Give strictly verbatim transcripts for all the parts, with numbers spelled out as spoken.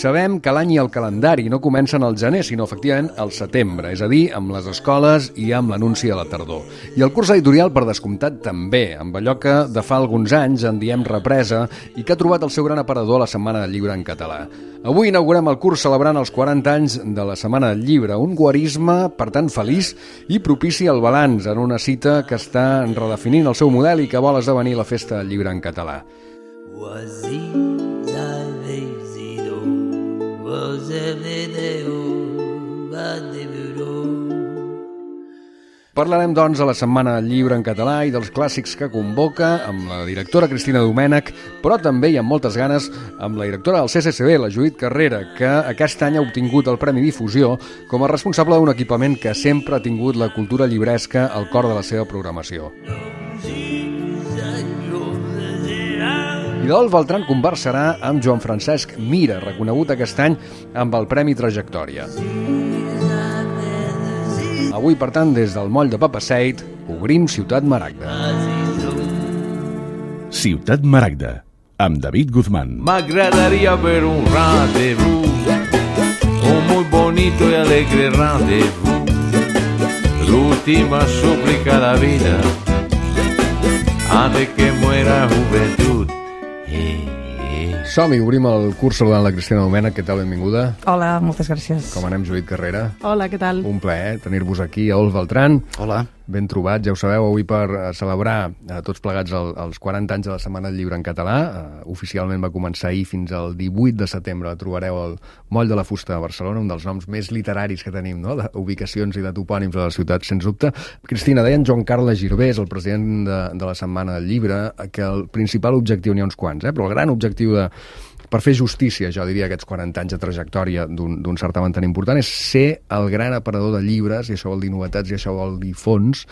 Sabem que l'any i el calendari no comencen al gener, sinó efectivament al setembre, és a dir, amb les escoles i amb l'anunci de la tardor. I el curs editorial, per descomptat, també, amb allò que de fa alguns anys en diem represa i que ha trobat el seu gran aparador a la Setmana del Llibre en català. Avui inaugurem el curs celebrant els quaranta anys de la Setmana del Llibre, un guarisme, per tant, feliç i propici al balanç en una cita que està redefinint el seu model i que vol esdevenir la Festa del Llibre en català. Parlarem, doncs, de la Setmana del Llibre en català i dels clàssics que convoca amb la directora Cristina Domènech, però també i amb moltes ganes amb la directora del C C C B, la Judit Carrera, que aquest any ha obtingut el Premi Difusió com a responsable d'un equipament que sempre ha tingut la cultura llibresca al cor de la seva programació. I Adolf Beltrán conversarà amb Joan Francesc Mira, reconegut aquest any amb el Premi Trajectòria. Avui, per tant, des del moll de Papaseit, obrim Ciutat Maragda. Ciutat Maragda, amb David Guzmán. M'agradaria ver un rendezvous, un muy bonito y alegre rendezvous, l'última súplica de la vida, antes que muera juventud. Som-hi, obrim el curs saludant la Cristina Domènech. Què tal, benvinguda? Hola, moltes gràcies. Com anem, Judit Carrera? Hola, què tal? Un plaer tenir-vos aquí. Adolf Beltrán. Hola. Ben trobat, ja ho sabeu, avui per celebrar eh, tots plegats el, els quaranta anys de la Setmana del Llibre en català. Eh, oficialment va començar ahir fins al divuit de setembre. La trobareu al Moll de la Fusta de Barcelona, un dels noms més literaris que tenim, no?, d'ubicacions i de topònims de la ciutat, sens dubte. Cristina, deia en Joan Carles Girbés, el president de, de la Setmana del Llibre, que el principal objectiu, n'hi ha uns quants, eh, però el gran objectiu de per fer justícia, jo diria, aquests quaranta anys de trajectòria d'un certamen tan important, és ser el gran aparador de llibres, i això vol dir novetats, i això vol dir fons,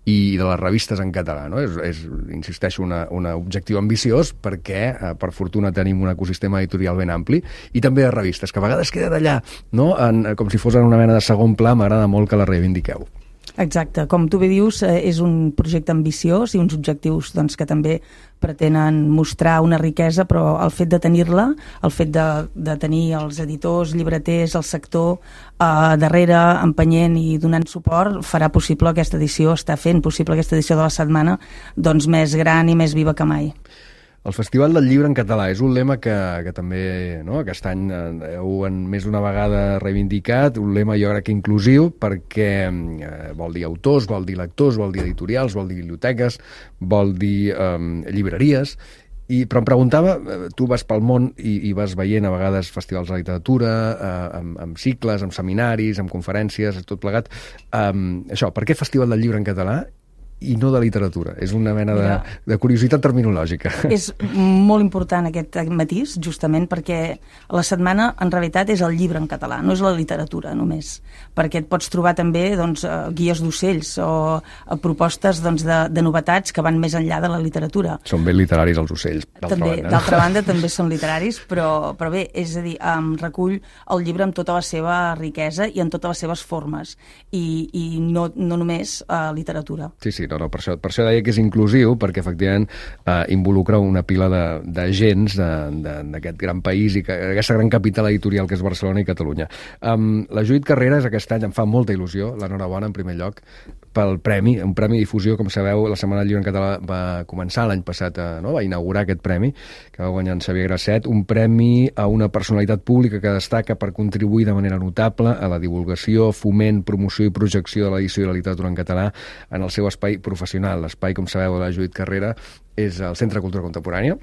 i de les revistes en català, no? És, és insisteixo, un objectiu ambiciós perquè, eh, per fortuna, tenim un ecosistema editorial ben ampli, i també de revistes, que a vegades queden allà, no?, en, com si fos en una mena de segon pla. M'agrada molt que la reivindiqueu. Exacte, com tu bé dius, eh, és un projecte ambiciós i uns objectius, doncs, que també pretenen mostrar una riquesa, però el fet de tenir-la, el fet de, de tenir els editors, llibreters, el sector eh, darrere, empenyent i donant suport, farà possible aquesta edició, està fent possible aquesta edició de la setmana, doncs, més gran i més viva que mai. El Festival del Llibre en català és un lema que, que també, no?, aquest any heu en més d'una vegada reivindicat, un lema jo crec que inclusiu, perquè eh, vol dir autors, vol dir lectors, vol dir editorials, vol dir biblioteques, vol dir eh, llibreries, i, però em preguntava, tu vas pel món i, i vas veient a vegades festivals de literatura, eh, amb, amb cicles, amb seminaris, amb conferències, tot plegat, eh, això, per què Festival del Llibre en català i no de literatura? És una mena de, de curiositat terminològica. És molt important aquest matís, justament perquè la setmana, en realitat, és el llibre en català, no és la literatura només, perquè et pots trobar també, doncs, guies d'ocells o propostes, doncs, de, de novetats que van més enllà de la literatura. Són ben literaris els ocells, d'altra també, banda. D'altra banda, també són literaris, però, però bé, és a dir, um, recull el llibre amb tota la seva riquesa i en totes les seves formes, i, i no, no només uh, literatura. Sí, sí. No, no, per això, per això deia que és inclusiu, perquè efectivament eh, involucra una pila d'agents d'aquest gran país i que, aquesta gran capital editorial que és Barcelona i Catalunya. Um, la Judit Carrera és aquest any, em fa molta il·lusió, l'enhorabona en primer lloc, pel premi, un premi difusió, com sabeu, la Setmana del Llibre en català va començar l'any passat, eh, no? Va inaugurar aquest premi, que va guanyar en Xavier Grasset, un premi a una personalitat pública que destaca per contribuir de manera notable a la divulgació, foment, promoció i projecció de l'edició i la literatura en català en el seu espai professional. L'espai, com sabeu, de la Judit Carrera és el Centre de Cultura Contemporània,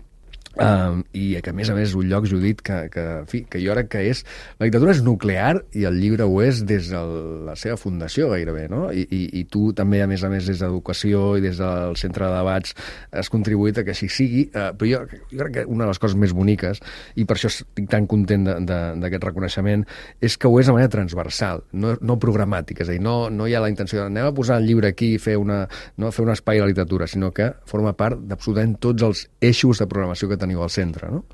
Um, i que a més a més és un lloc, Judit, que, que, en fi, que jo crec que és... La literatura és nuclear i el llibre ho és des de la seva fundació gairebé, no? I, i, i tu també, a més a més, des d'educació i des del centre de debats has contribuït a que així sigui, uh, però jo, jo crec que una de les coses més boniques, i per això estic tan content d'aquest reconeixement, és que ho és de manera transversal, no, no programàtica, és a dir, no, no hi ha la intenció de anem a posar el llibre aquí i fer, una, no, fer un espai a la literatura, sinó que forma part d'absolutament tots els eixos de programació que teniu al centre, no?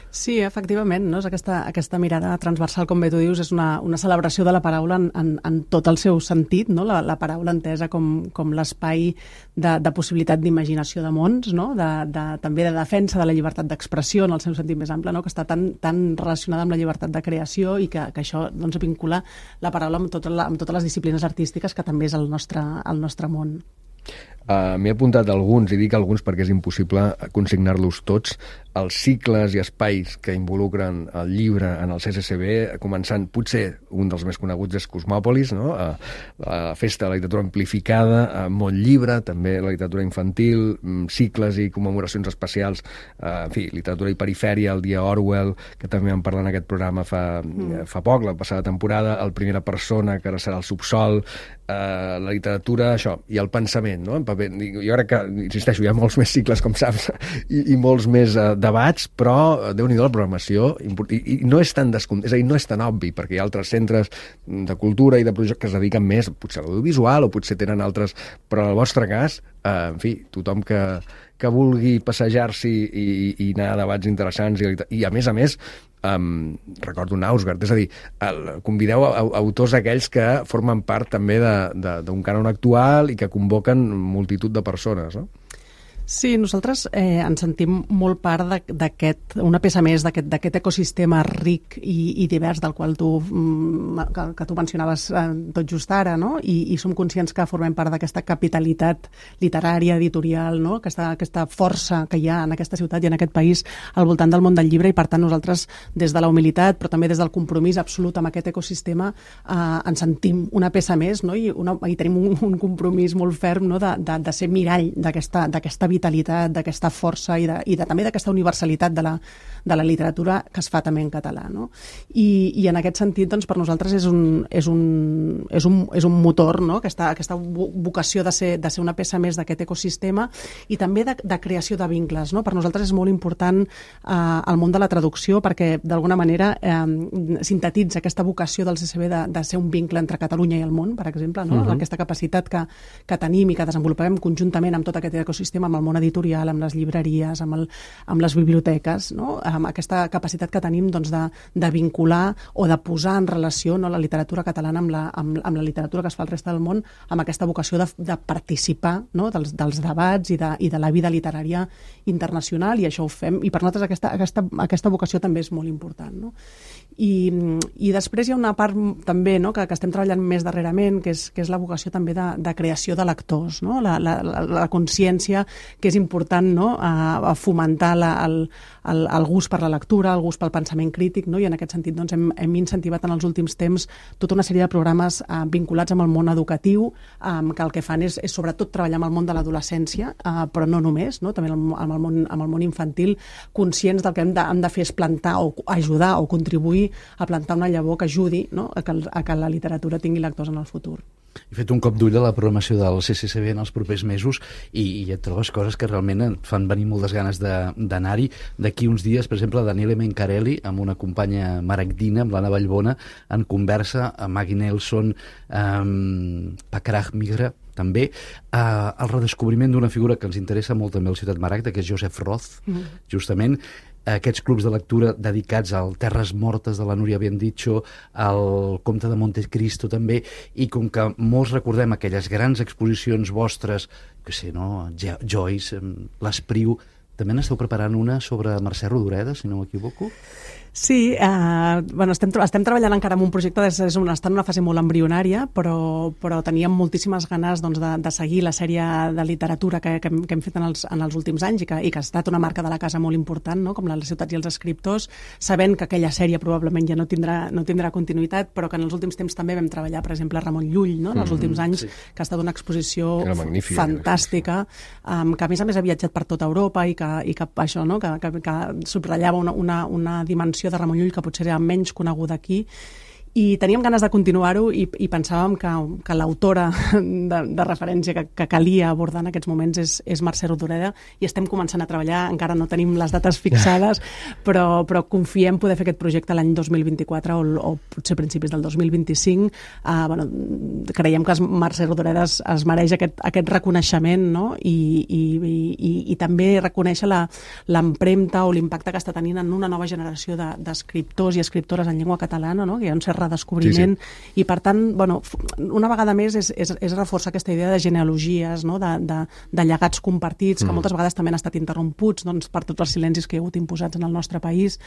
Sí, efectivament, no? És aquesta, aquesta mirada transversal, com bé tu dius, és una, una celebració de la paraula en, en, en tot el seu sentit, no? La, la paraula entesa com, com l'espai de, de possibilitat d'imaginació de mons, no? De, de, també de defensa de la llibertat d'expressió en el seu sentit més ample, no? Que està tan, tan relacionada amb la llibertat de creació i que, que això doncs, vincula la paraula amb, tot la, amb totes les disciplines artístiques, que també és el nostre, el nostre món. Uh, M'he apuntat alguns, i dic alguns perquè és impossible consignar-los tots, els cicles i espais que involucren el llibre en el C C C B, començant, potser un dels més coneguts és Cosmòpolis, no? uh, la Festa de la Literatura Amplificada, uh, Món Llibre, també la literatura infantil, um, cicles i commemoracions especials, uh, en fi, literatura i perifèria, el Dia Orwell, que també vam parlar en aquest programa fa, mm. fa poc, la passada temporada, el Primera Persona, que ara serà el Subsol, uh, la literatura, això, i el pensament, no? En paper. Jo crec que, insisteixo, hi ha molts més cicles, com saps, i, i molts més uh, debats, però Déu-n'hi-do la programació, i, i no és tan descom... és a dir, no és tan obvi, perquè hi ha altres centres de cultura i de projectes que es dediquen més, potser a l'audiovisual, o potser tenen altres, però en el vostre cas, eh, en fi, tothom que, que vulgui passejar-s'hi i, i anar a debats interessants, i, i a més a més, Um, recordo Nausgard, és a dir, el, convideu a, a, autors aquells que formen part també d'un cànon actual i que convoquen multitud de persones, no? Sí, nosaltres eh, ens sentim molt part d'aquest, una peça més d'aquest ecosistema ric i, i divers del qual tu, que, que tu mencionaves eh, tot just ara, no? I, i som conscients que formem part d'aquesta capitalitat literària, editorial, no? Aquesta, aquesta força que hi ha en aquesta ciutat i en aquest país al voltant del món del llibre, i per tant nosaltres des de la humilitat però també des del compromís absolut amb aquest ecosistema eh, ens sentim una peça més, no? I, una, i tenim un, un compromís molt ferm, no? de, de, de ser mirall d'aquesta vitalitat, d'aquesta força i, de, i de, també d'aquesta universalitat de la, de la literatura que es fa també en català, no? I, i en aquest sentit, doncs, per nosaltres és un, és un, és un, és un motor, no? Aquesta, aquesta vocació de ser, de ser una peça més d'aquest ecosistema i també de, de creació de vincles, no? Per nosaltres és molt important eh, el món de la traducció perquè d'alguna manera eh, sintetitza aquesta vocació del C C B de, de ser un vincle entre Catalunya i el món, per exemple, no? Uh-huh. Aquesta capacitat que, que tenim i que desenvolupem conjuntament amb tot aquest ecosistema, amb el món editorial, amb les llibreries, amb, el, amb les biblioteques, no? Amb aquesta capacitat que tenim, doncs, de, de vincular o de posar en relació, no, la literatura catalana amb la, amb, amb la literatura que es fa al reste del món, amb aquesta vocació de, de participar, no, dels, dels debats i de, i de la vida literària internacional, i això ho fem, i per nosaltres aquesta, aquesta, aquesta vocació també és molt important, no? I, i després hi ha una part també, no, que, que estem treballant més darrerament, que és, que és la vocació també de, de creació de lectors, no? la, la, la, la consciència que és important, no, a, a fomentar la, el, el, el gust per la lectura, el gust pel pensament crític, no? I en aquest sentit doncs, hem, hem incentivat en els últims temps tota una sèrie de programes eh, vinculats amb el món educatiu, eh, que el que fan és, és sobretot treballar amb el món de l'adolescència, eh, però no només, no? També amb el, món, amb el món infantil, conscients del que hem de, hem de fer és plantar o ajudar o contribuir a plantar una llavor que ajudi, no, a, que, a que la literatura tingui lectors en el futur. He fet un cop d'ull a la programació del C C C B en els propers mesos i, i et trobes coses que realment et fan venir moltes ganes d'anar-hi. D'aquí uns dies, per exemple, Daniele Mencarelli, amb una companya maragdina, amb l'Anna Vallbona, en conversa amb Maggie Nelson, amb Pakrach Migra, també, eh, el redescobriment d'una figura que ens interessa molt també a la ciutat Maragda, que és Joseph Roth, mm. justament, aquests clubs de lectura dedicats al Terres Mortes de la Núria Biendicho, al Comte de Montecristo també, i com que molts recordem aquelles grans exposicions vostres, que sé, no? Joyce, l'Espriu, també n'esteu preparant una sobre Mercè Rodoreda, si no m'equivoco? Sí, eh, bueno, estem, estem treballant encara en un projecte, és, és un, està en una fase molt embrionària, però, però teníem moltíssimes ganes, doncs, de, de seguir la sèrie de literatura que, que, hem, que hem fet en els, en els últims anys i que, i que ha estat una marca de la casa molt important, no? Com les ciutats i els escriptors, sabent que aquella sèrie probablement ja no tindrà, no tindrà continuïtat, però que en els últims temps també vam treballar, per exemple, Ramon Llull, no? En els mm, últims anys, sí. Que ha estat una exposició fantàstica, um, que a més a més ha viatjat per tota Europa i que, i que això, no? que, que, que subratllava una, una, una dimensió de Ramon Llull que potser era menys coneguda aquí, I teníem ganes de continuar-ho i, i pensàvem que, que l'autora de, de referència que, que calia abordar en aquests moments és, és Mercè Rodoreda, i estem començant a treballar, encara no tenim les dates fixades, però, però confiem poder fer aquest projecte l'any dos mil vint-i-quatre o, o potser principis del dos mil vint-i-cinc. Uh, bueno, creiem que Mercè Rodoreda es, es mereix aquest, aquest reconeixement, no? I, i, i, i també reconèixer l'empremta o l'impacte que està tenint en una nova generació d'escriptors de, i escriptores en llengua catalana, no? Que hi ha un cert redescobriment, sí, sí. I per tant, bueno, una vegada més és, és, és reforçar aquesta idea de genealogies, no? de, de, de llegats compartits, que mm. moltes vegades també han estat interromputs, doncs, per tots els silencis que hi ha hagut imposats en el nostre país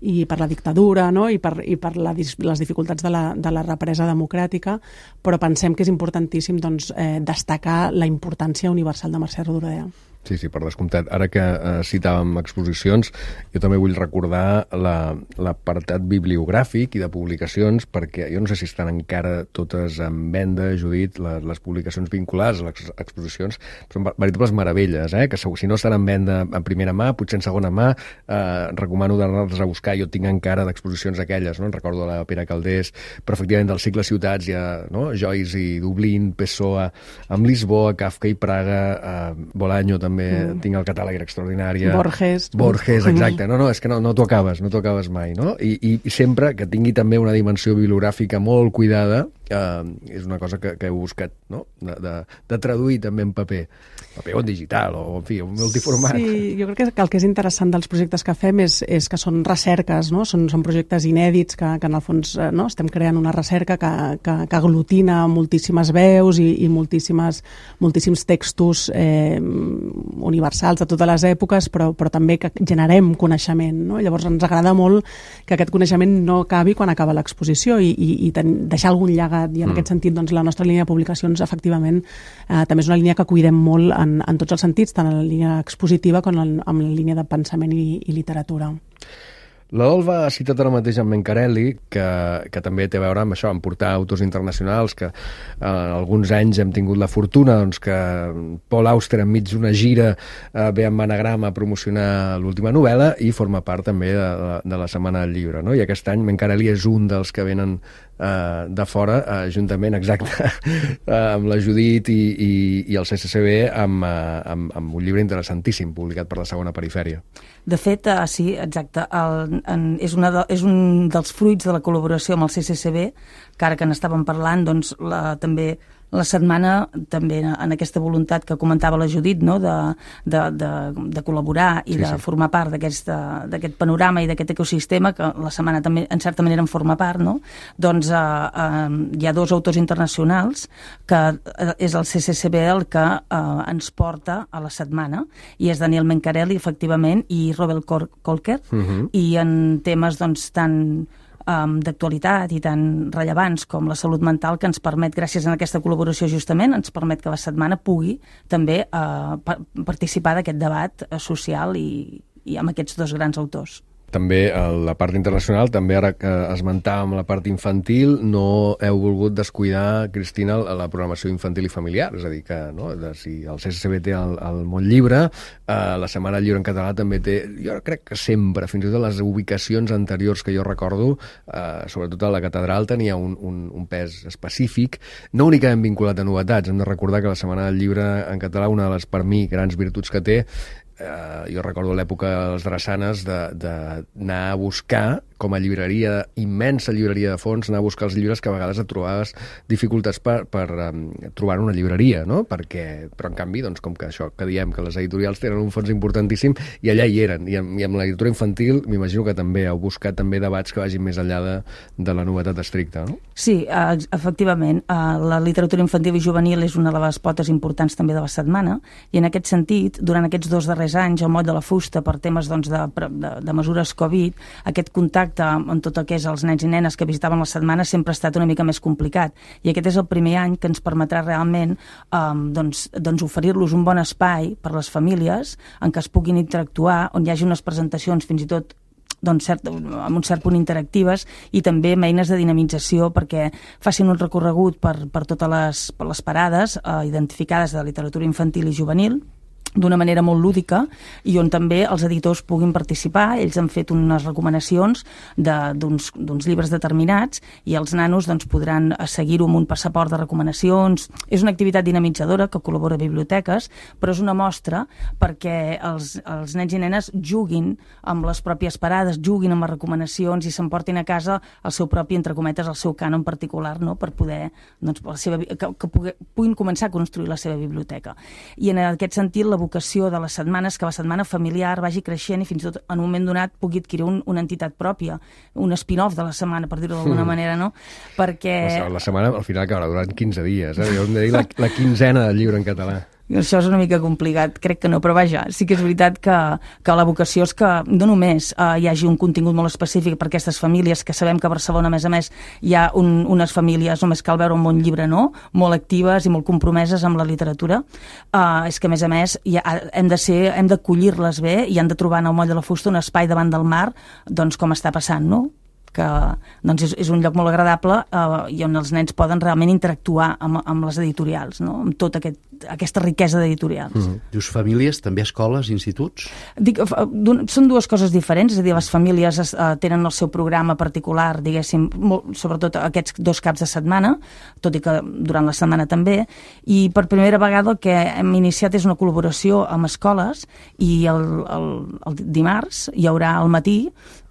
i per la dictadura, no? I per, i per la, les dificultats de la, de la represa democràtica, però pensem que és importantíssim, doncs, eh, destacar la importància universal de Mercè Rodoreda. Sí, sí, per descomptat. Ara que eh, citàvem exposicions, jo també vull recordar l'apartat la, bibliogràfic i de publicacions, perquè jo no sé si estan encara totes en venda, Judit, les, les publicacions vinculades a les exposicions, són veritables meravelles, eh? Que si no estan en venda en primera mà, potser en segona mà, eh, recomano d'anar-les a buscar. Jo tinc encara d'exposicions aquelles, no? En recordo la Pere Calders, però efectivament del cicle Ciutats hi ha, no? Joyce i Dublín, Pessoa, amb Lisboa, Kafka i Praga, eh, Bolaño també, Mm. tinc el catàleg extraordinari. Borges. Borges, exacte. No, no, és que no, no t'ho acabes, no t'ho acabes mai, no? I, i, I sempre que tingui també una dimensió bibliogràfica molt cuidada, eh, és una cosa que, que he buscat, no? De, de, de traduir també en paper. Paper o en digital, o en fi, un multiformat. Sí, jo crec que el que és interessant dels projectes que fem és, és que són recerques, no? Són, són projectes inèdits que, que en el fons, no? Estem creant una recerca que, que, que aglutina moltíssimes veus i, i moltíssimes, moltíssims textos eh, universals de totes les èpoques, però, però també que generem coneixement, no? Llavors ens agrada molt que aquest coneixement no acabi quan acaba l'exposició i, i, i ten, deixar algun llegat, i en mm. aquest sentit doncs, la nostra línia de publicacions efectivament eh, també és una línia que cuidem molt en, en tots els sentits, tant en la línia expositiva com en, en la línia de pensament i, i literatura. L'Adolfa ha citat ara mateix en Mencarelli, que, que també té a veure amb això, amb portar autors internacionals, que eh, alguns anys hem tingut la fortuna doncs, que Paul Auster, enmig d'una gira, eh, ve amb Anagrama a promocionar l'última novel·la i forma part també de, de, de la Setmana del Llibre. No? I aquest any Mencarelli és un dels que venen eh, de fora, eh, juntament, exacte, eh, amb la Judit i, i, i el C C C B, amb, eh, amb, amb un llibre interessantíssim, publicat per la Segona Perifèria. De fet, uh, sí, exacte, el, en, és, una de, és un dels fruits de la col·laboració amb el C C C B, que ara que n'estàvem parlant, doncs la, també la setmana, també en aquesta voluntat que comentava la Judit, no? de, de, de, de col·laborar i sí, de sí. formar part d'aquest panorama i d'aquest ecosistema, que la setmana també en certa manera en forma part, no? Doncs uh, uh, hi ha dos autors internacionals que uh, és el C C C B el que uh, ens porta a la setmana, i és Daniel Mencarelli, efectivament, i Robert Kolker, uh -huh. i en temes doncs tan Um, d'actualitat i tan rellevants com la salut mental, que ens permet, gràcies a aquesta col·laboració justament, ens permet que la setmana pugui també uh, pa participar d'aquest debat uh, social i, i amb aquests dos grans autors. També la part internacional, també ara que esmentàvem la part infantil, no heu volgut descuidar, Cristina, la programació infantil i familiar, és a dir, que no, de, si el C C C B té el, el Món Llibre, eh, la Setmana del Llibre en català també té, jo crec que sempre, fins i tot les ubicacions anteriors que jo recordo, eh, sobretot a la catedral, tenia un, un, un pes específic, no únicament vinculat a novetats. Hem de recordar que la Setmana del Llibre en català, una de les, per mi, grans virtuts que té, Uh, jo recordo l'època de les drassanes d'anar a buscar, com a llibreria, immensa llibreria de fons, anar a buscar els llibres que a vegades et trobaves dificultats per, per um, trobar una llibreria, no? Perquè, però en canvi, doncs, com que això que diem, que les editorials tenen un fons importantíssim, i allà hi eren, i amb, i amb la literatura infantil m'imagino que també heu buscat també debats que vagin més enllà de, de la novetat estricta, no? Sí, uh, efectivament, uh, la literatura infantil i juvenil és una de les potes importants també de la setmana, i en aquest sentit, durant aquests dos darrers anys, el moll de la fusta, per temes doncs, de, de, de mesures Covid, aquest contacte amb tot el que és els nens i nenes que visitaven la setmana sempre ha estat una mica més complicat, i aquest és el primer any que ens permetrà realment um, doncs, doncs oferir-los un bon espai per les famílies en què es puguin interactuar, on hi hagi unes presentacions fins i tot doncs, cert, amb un cert punt interactives, i també amb eines de dinamització perquè facin un recorregut per, per totes les, per les parades eh, identificades de literatura infantil i juvenil, d'una manera molt lúdica i on també els editors puguin participar. Ells han fet unes recomanacions d'uns llibres determinats i els nanos doncs, podran seguir-ho amb un passaport de recomanacions. És una activitat dinamitzadora que col·labora a biblioteques, però és una mostra perquè els, els nens i nenes juguin amb les pròpies parades, juguin amb les recomanacions i s'emportin a casa el seu propi, entre cometes, el seu cànon particular, no? Per poder, doncs, la seva, que, que puguin començar a construir la seva biblioteca. I en aquest sentit, la vocació de les setmanes, que la setmana familiar vagi creixent i fins i tot en un moment donat pugui adquirir un, una entitat pròpia, un spin-off de la setmana, per dir-ho d'alguna mm. manera, no? Perquè... La, la setmana al final acabarà durant quinze dies, eh? Jo hem de dir la, la quinzena del llibre en català. Això és una mica complicat, crec que no, però vaja, sí que és veritat que, que la vocació és que no només eh, hi hagi un contingut molt específic per aquestes famílies, que sabem que a Barcelona, a més a més, hi ha un, unes famílies, només cal veure un bon llibre, no?, molt actives i molt compromeses amb la literatura, eh, és que a més a més ha, hem de ser, hem d'acollir-les bé i han de trobar en el Moll de la Fusta un espai davant del mar, doncs com està passant, no?, que doncs és, és un lloc molt agradable eh, i on els nens poden realment interactuar amb, amb les editorials, no? Amb tota aquest, aquesta riquesa d'editorials. Mm. Dius famílies, també escoles, instituts? Dic, són dues coses diferents, és a dir, les famílies es, uh, tenen el seu programa particular, diguéssim, molt, sobretot aquests dos caps de setmana, tot i que durant la setmana també, i per primera vegada el que hem iniciat és una col·laboració amb escoles i el, el, el dimarts hi haurà al matí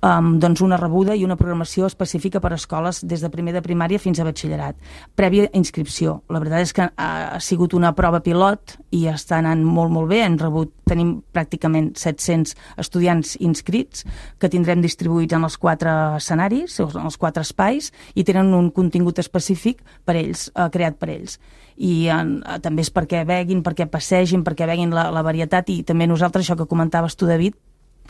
Um, doncs una rebuda i una programació específica per a escoles des de primer de primària fins a batxillerat, prèvia inscripció. La veritat és que ha, ha sigut una prova pilot i està anant molt, molt bé. Hem rebut, tenim pràcticament set-cents estudiants inscrits que tindrem distribuïts en els quatre escenaris, en els quatre espais, i tenen un contingut específic per ells, eh, creat per ells. I en, també és perquè veguin, perquè passegin, perquè veguin la, la varietat, i també nosaltres, això que comentaves tu, David,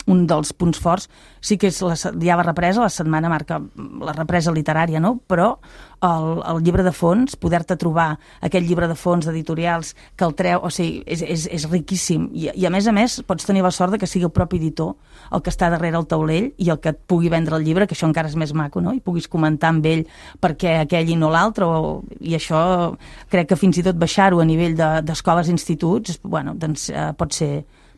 un dels punts forts, sí que és la, ja la represa, la setmana marca la represa literària, no? Però el, el llibre de fons, poder-te trobar aquest llibre de fons d'editorials que el treu, o sigui, és, és, és riquíssim. I, I a més a més pots tenir la sort de que sigui el propi editor el que està darrere el taulell i el que et pugui vendre el llibre, que això encara és més maco, no? I puguis comentar amb ell perquè aquell i no l'altre, o... i això crec que fins i tot baixar-ho a nivell d'escoles i instituts, bueno, doncs eh, pot ser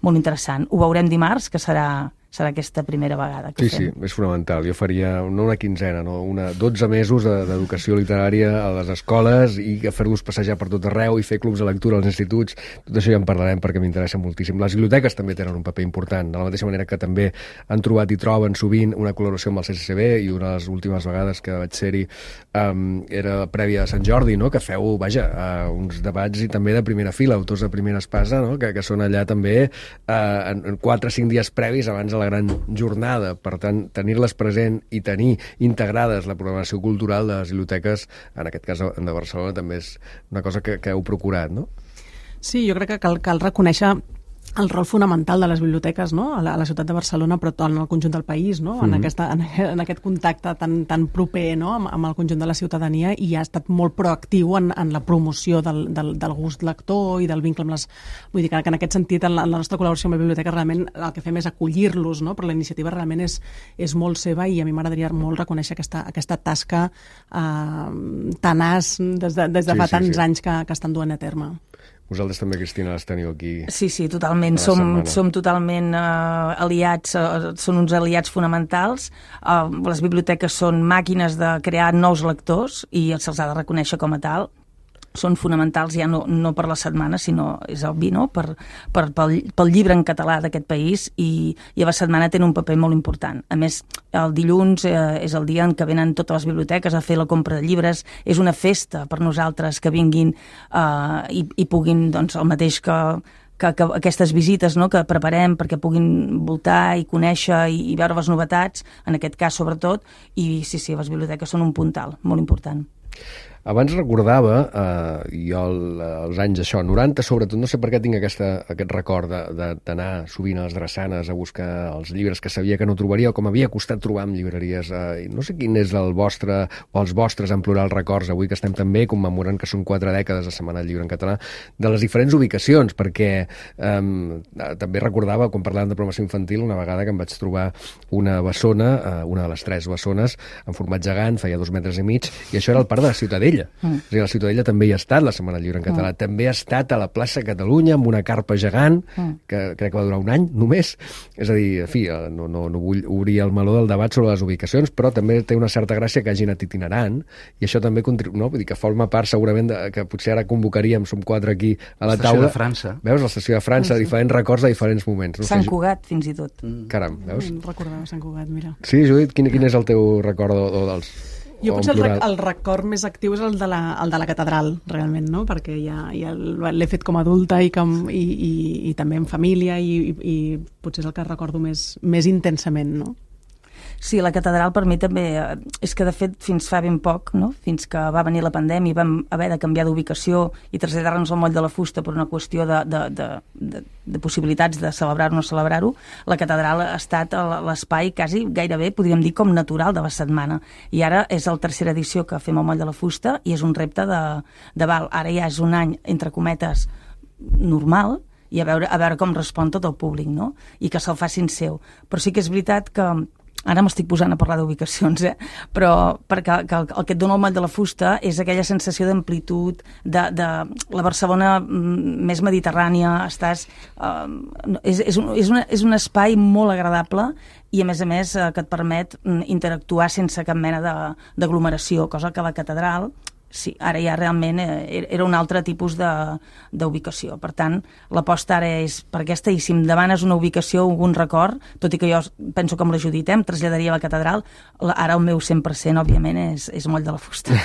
molt interessant. Ho veurem dimarts, que serà, serà aquesta primera vegada que sí, fem. Sí, és fonamental. Jo faria no una quinzena, no una dotze mesos d'educació literària a les escoles i fer-los passejar per tot arreu i fer clubs de lectura als instituts. Tot això ja en parlarem perquè m'interessa moltíssim. Les biblioteques també tenen un paper important, de la mateixa manera que també han trobat i troben sovint una col·laboració amb el C C C B, i una de les últimes vegades que vaig ser-hi um, era prèvia a Sant Jordi, no? Que feu, vaja, uh, uns debats i també de primera fila, autors de primera espasa, no? que, que són allà també uh, en, en quatre o cinc dies previs abans de la gran jornada. Per tant, tenir-les present i tenir integrades la programació cultural de les biblioteques, en aquest cas de Barcelona, també és una cosa que, que heu procurat, no? Sí, jo crec que cal, cal reconèixer el rol fonamental de les biblioteques, no? a, la, a la ciutat de Barcelona, però en el conjunt del país, no? en, mm-hmm. aquesta, en, en aquest contacte tan, tan proper, no? amb, amb el conjunt de la ciutadania, i ha estat molt proactiu en, en la promoció del, del, del gust lector i del vincle amb les... Vull dir que en aquest sentit, en la, en la nostra col·laboració amb la biblioteca, realment el que fem és acollir-los, no? Però la iniciativa realment és, és molt seva, i a mi m'agradaria molt reconèixer aquesta, aquesta tasca eh, tenaç des de, des de sí, fa sí, tants sí. anys que, que estan duent a terme. Vosaltres també, Cristina, les teniu aquí. Sí, sí, totalment. Som, som totalment uh, aliats, uh, són uns aliats fonamentals. Uh, les biblioteques són màquines de crear nous lectors i se'ls ha de reconèixer com a tal. Són fonamentals ja no, no per la setmana, sinó, és obvi, no? per, per, pel, pel llibre en català d'aquest país, i, i a la setmana tenen un paper molt important. A més, el dilluns eh, és el dia en què venen totes les biblioteques a fer la compra de llibres. És una festa per nosaltres que vinguin eh, i, i puguin, doncs, el mateix que Que, que aquestes visites, no?, que preparem perquè puguin voltar i conèixer i, i veure les novetats, en aquest cas sobretot, i sí, sí, les biblioteques són un puntal molt important. Abans recordava, eh, jo el, els anys això, noranta sobretot, no sé per què tinc aquesta, aquest record d'anar sovint a les drassanes a buscar els llibres que sabia que no trobaria, o com havia costat trobar en llibreries. Eh, no sé quin és el vostre, o els vostres en plural records, avui que estem també commemorant que són quatre dècades de Setmana del Llibre en Català, de les diferents ubicacions, perquè eh, també recordava, quan parlàvem de programació infantil, una vegada que em vaig trobar una bessona, eh, una de les tres bessones, en format gegant, feia dos metres i mig, i això era el Parc de Ciutadella. Mm. És a dir, la Ciutadella també hi ha estat, la Setmana del Llibre en català. Mm. També ha estat a la plaça Catalunya amb una carpa gegant, mm. que crec que va durar un any només. És a dir, en fi, no, no, no vull obrir el meló del debat sobre les ubicacions, però també té una certa gràcia que hagin anat itinerant, i això també contribu... no? Vull dir que forma part segurament de... que potser ara convocaríem, som quatre aquí a la taula. L'estació de França. Veus? L'estació de França, sí, sí. Diferents records de diferents moments. No? Sant Cugat, fins i tot. Mm. Caram, veus? Recordava Sant Cugat, mira. Sí, Judit, quin, quin és el teu record o, o dels... Jo potser el, rec el record més actiu és el de la, el de la catedral, realment, no? Perquè ja, ja l'he fet com a adulta i, com, i, i, i també en família i, i, i potser és el que recordo més, més intensament, no? Sí, la catedral per mi també, és que de fet fins fa ben poc, no? Fins que va venir la pandèmia i vam haver de canviar d'ubicació i traslladar-nos al Moll de la Fusta per una qüestió de, de, de, de, de possibilitats de celebrar-ho o no celebrar-ho, la catedral ha estat l'espai quasi gairebé, podríem dir, com natural de la setmana. I ara és la tercera edició que fem al Moll de la Fusta i és un repte de, de val. Ara ja és un any, entre cometes, normal, i a veure, a veure com respon tot el públic, no? I que se'l facin seu. Però sí que és veritat que ara m'estic posant a parlar d'ubicacions, eh? Però perquè que el, el que et dona el Moll de la Fusta és aquella sensació d'amplitud, de, de la Barcelona més mediterrània, estàs... Eh, és, és, un, és, una, és un espai molt agradable i, a més a més, eh, que et permet interactuar sense cap mena d'aglomeració, cosa que la catedral... Sí, ara ja realment era un altre tipus d'ubicació. Per tant, l'aposta ara és per aquesta, i si em demanes una ubicació o algun record, tot i que jo penso com la Judit, eh, em traslladaria a la catedral, ara el meu cent per cent, òbviament, és, és Moll de la Fusta.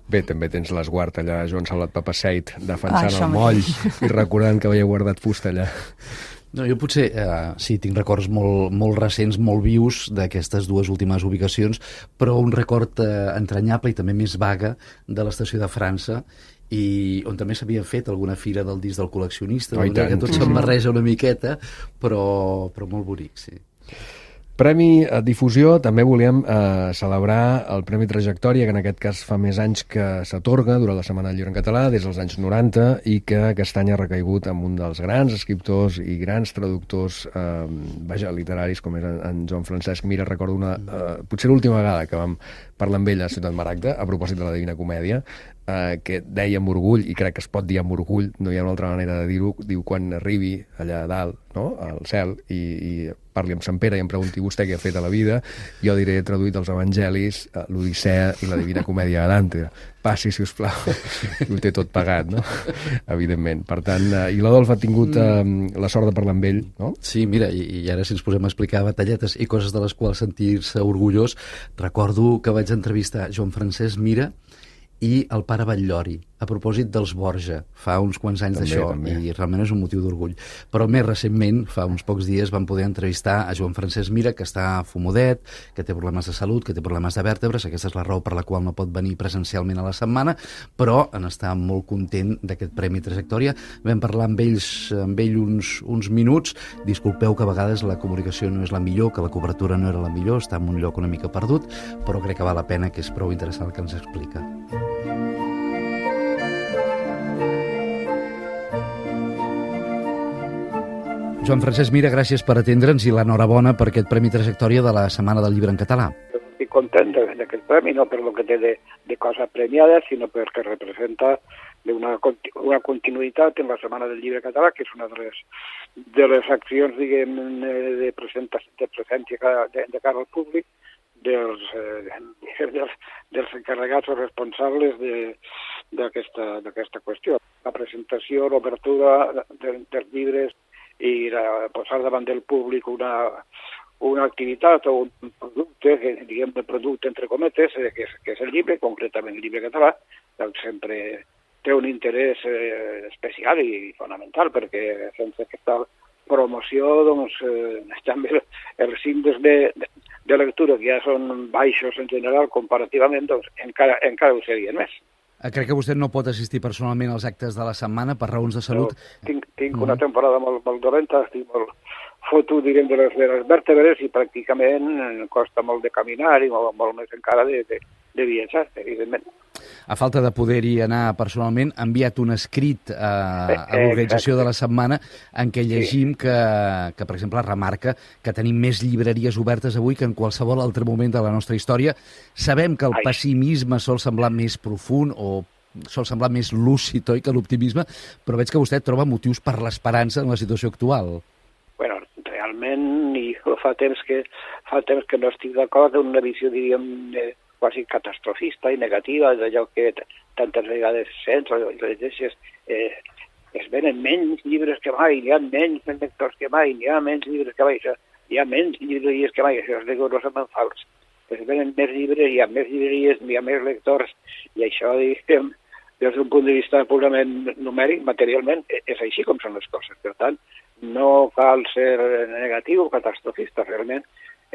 Bé, també tens l'esguard allà, Joan Salvat Papaseit, defensant ah, el Moll i recordant que havia guardat fusta allà. No, jo potser, eh, sí, tinc records molt, molt recents, molt vius d'aquestes dues últimes ubicacions, però un record eh, entranyable i també més vaga de l'estació de França, i on també s'havia fet alguna fira del disc del col·leccionista, oh, que tot se'n barreja una miqueta, però, però molt bonic, sí. Premi a difusió, també volíem eh, celebrar el Premi Trajectòria, que en aquest cas fa més anys que s'atorga durant la Setmana del Llibre en català, des dels anys noranta, i que aquest any ha recaigut amb un dels grans escriptors i grans traductors eh, vaja, literaris, com és en, en Joan Francesc Mira. Recordo una, eh, potser l'última vegada que vam parlar amb ell a Ciutat Maragda, a propòsit de la Divina Comèdia, eh, que deia amb orgull, i crec que es pot dir amb orgull, no hi ha una altra manera de dir-ho, diu quan arribi allà a dalt, no?, al cel, i, i parli amb Sant Pere i em pregunti vostè què ha fet a la vida, jo diré traduït els Evangelis, l'Odissea i la Divina Comèdia de Dante. Passi, si us plau. Ho té tot pagat, no? Evidentment. Per tant, eh, i l'Adolf ha tingut eh, la sort de parlar amb ell, no? Sí, mira, i, i ara si ens posem a explicar batalletes i coses de les quals sentir-se orgullós, recordo que vaig entrevistar Joan Francesc Mira i el pare Batllori, a propòsit dels Borja, fa uns quants anys d'això, i realment és un motiu d'orgull. Però més recentment, fa uns pocs dies, vam poder entrevistar a Joan Francesc Mira, que està fumodet, que té problemes de salut, que té problemes de vèrtebres, aquesta és la raó per la qual no pot venir presencialment a la setmana, però en està molt content d'aquest Premi Trajectòria. Vam parlar amb ells, amb ell uns, uns minuts, disculpeu que a vegades la comunicació no és la millor, que la cobertura no era la millor, està en un lloc una mica perdut, però crec que val la pena, que és prou interessant el que ens explica. Joan Francesc Mira, gràcies per atendre'ns i l'enhorabona per aquest Premi Trajectòria de la Setmana del Llibre en català. Estic content d'aquest premi, no per lo que té de, de cosa premiada, sinó perquè representa una, una continuïtat en la Setmana del Llibre català, que és una de les, de les accions, diguem, de, presenta, de presència de, de cara al públic, dels, eh, dels, dels encarregats o responsables d'aquesta d'aquesta qüestió. La presentació, l'obertura de, dels llibres i la, posar davant del públic una, una activitat o un producte, que diguem de producte entre cometes, que és, que és el llibre, concretament el llibre català, doncs sempre té un interès eh, especial i fonamental, perquè sense aquesta promoció, doncs, eh, també els índexs de, de, de lectura, que ja són baixos en general comparativament, doncs encara, encara ho serien més. Crec que vostè no pot assistir personalment als actes de la setmana per raons de salut. No, tinc tinc una temporada molt, molt dolenta, estic molt fotut, diguem, de les, de les vèrtebres i pràcticament costa molt de caminar i molt, molt més encara de, de, de viatjar, evidentment. a falta de poder-hi anar personalment, ha enviat un escrit a, a l'organització de la setmana en què llegim que, que, per exemple, remarca que tenim més llibreries obertes avui que en qualsevol altre moment de la nostra història. Sabem que el pessimisme sol semblar més profund o sol semblar més lúcid, oi, que l'optimisme, però veig que vostè troba motius per l'esperança en la situació actual. Bueno, realment, i fa temps que, fa temps que no estic d'acord amb una visió, diríem, eh, quasi catastrofista i negativa d'allò que tantes vegades sents o llegeixes. Eh, es venen menys llibres que mai, hi ha menys lectors que mai, hi ha menys llibres que mai, hi ha menys llibreries que mai, això és rigorosament fals. Es venen més llibres, hi ha més llibreries, hi ha més lectors, i això, diguem, des d'un punt de vista purament numèric, materialment, és així com són les coses. Per tant, no cal ser negatiu o catastrofista, realment.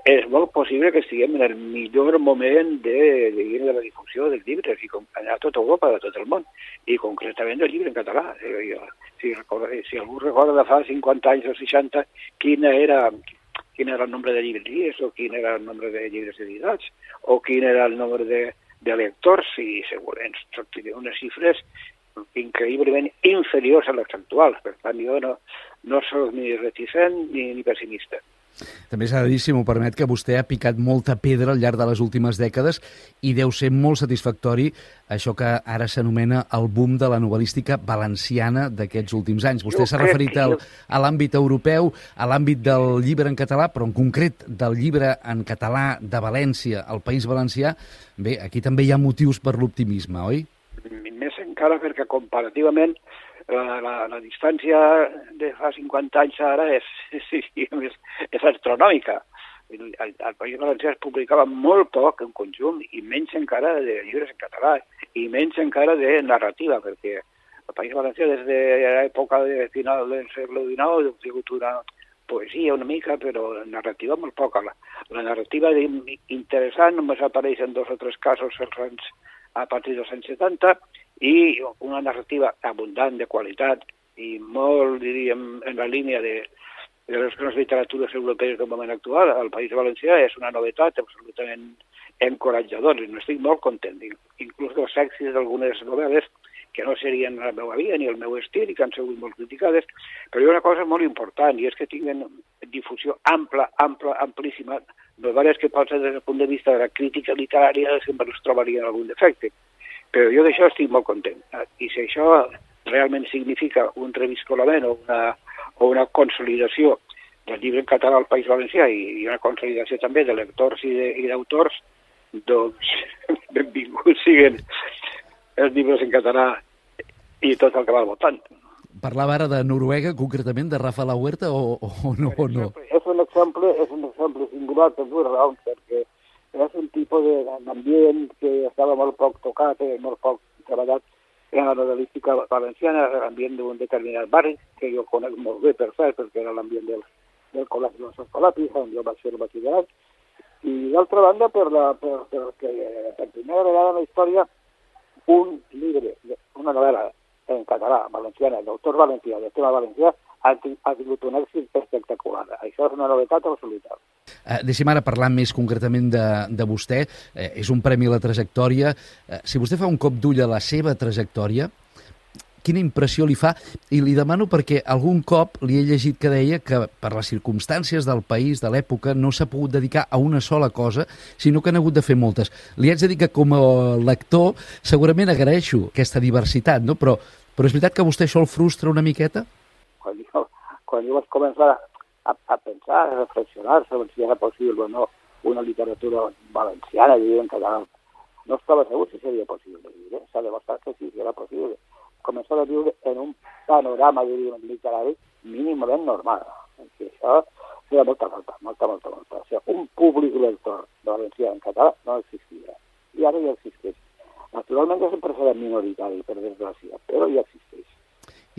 És molt possible que estiguem en el millor moment de, de, de la difusió dels llibres i a tota Europa, a tot el món, i concretament del llibre en català. Si, si algú recorda de fa cinquanta anys o seixanta quina era, quin era el nombre de llibreries o quin era el nombre de llibres editats o quin era el nombre de, de lectors, i segurament sortiria unes xifres increïblement inferiors a les actuals. Per tant, jo no, no soc ni reticent ni, ni pessimista. També s'ha de dir, si m'ho permet, que vostè ha picat molta pedra al llarg de les últimes dècades i deu ser molt satisfactori això que ara s'anomena el boom de la novel·lística valenciana d'aquests últims anys. Vostè s'ha referit al, a l'àmbit europeu, a l'àmbit del llibre en català, però en concret del llibre en català de València, al País Valencià. Bé, aquí també hi ha motius per l'optimisme, oi? Més encara perquè comparativament La, la, la distància de fa cinquanta anys ara és, és, és, és astronòmica. Al, al País Valencià es publicava molt poc en conjunt i menys encara de llibres en català i menys encara de narrativa, perquè el País Valencià des de l'època de final del segle dinou ha tingut una poesia una mica, però narrativa molt poca. La, la narrativa interessant només apareix en dos o tres casos als anys, a partir dels anys setanta, i una narrativa abundant de qualitat i molt, diríem, en la línia de, de les grans literatures europees del moment actual. El País Valencià és una novetat absolutament encoratjadora i n'estic molt content. Inclús dels èxits d'algunes novel·les que no serien la meva via ni el meu estil i que han sigut molt criticades, però hi ha una cosa molt important i és que tinguen difusió ampla, ampla, amplíssima, novel·les que potser des del punt de vista de la crítica literària sempre es trobarien algun defecte. Però jo d'això estic molt content. I si això realment significa un reviscolament o una, o una consolidació del llibre en català al País Valencià i una consolidació també de lectors i d'autors, doncs benvinguts siguen els llibres en català i tot el que va al voltant. Parlava ara de Noruega, concretament, de Rafa La Huerta, o, o no? O no? És un exemple, és un exemple singular per dues raons, perquè és un tipus d'ambient que estava molt poc tocat, eh, molt poc treballat en la novel·lística valenciana, l'ambient d'un determinat barri, que jo conec molt bé, per cert, perquè era l'ambient del, del col·legi dels Escolapis, on jo vaig fer el batxillerat, i d'altra banda, per la, per, per, que, per primera vegada en la història, un llibre, una novel·la en català, valenciana, d'autor valencià, de tema valencià, ha, ha tingut un èxit espectacular. Això és una novetat absoluta. Uh, deixem ara parlar més concretament de, de vostè. Uh, és un premi a la trajectòria. Uh, si vostè fa un cop d'ull a la seva trajectòria, quina impressió li fa? I li demano perquè algun cop li he llegit que deia que per les circumstàncies del país, de l'època, no s'ha pogut dedicar a una sola cosa, sinó que han hagut de fer moltes. Li haig de dir que com a lector segurament agraeixo aquesta diversitat, no? Però, però és veritat que vostè això el frustra una miqueta? Quan jo, quan jo vaig començar a, a pensar, a reflexionar sobre si era possible o no una literatura valenciana, diria en català, no estava segur si seria possible. Eh? S'ha demostrat que sí, que era possible. Començar a viure en un panorama, diríem, literari mínimament normal. I això feia molta falta, molta, molta, molta. O sigui, un públic lector de valencià en català no existia. I ara ja existeix. Naturalment és un precedent minoritari, per desgràcia, però ja existeix.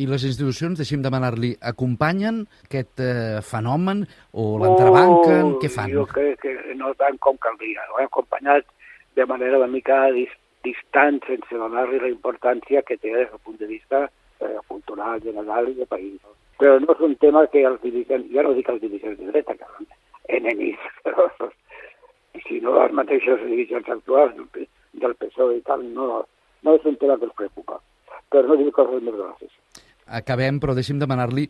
I les institucions, deixem demanar-li, acompanyen aquest eh, fenomen o l'entrebanquen? Oh, què fan? Jo crec que no tant com caldria. Ho he acompanyat de manera una mica distant, sense donar-li la importància que té des del punt de vista eh, cultural, general i de país. Però no és un tema que els dirigents, ja no dic els dirigents de dreta, que són enemics, però si no els mateixos dirigents actuals del P S O E i tal no, no és un tema que els preocupa, per no dir coses més grosses. Acabem, però deixi'm demanar-li,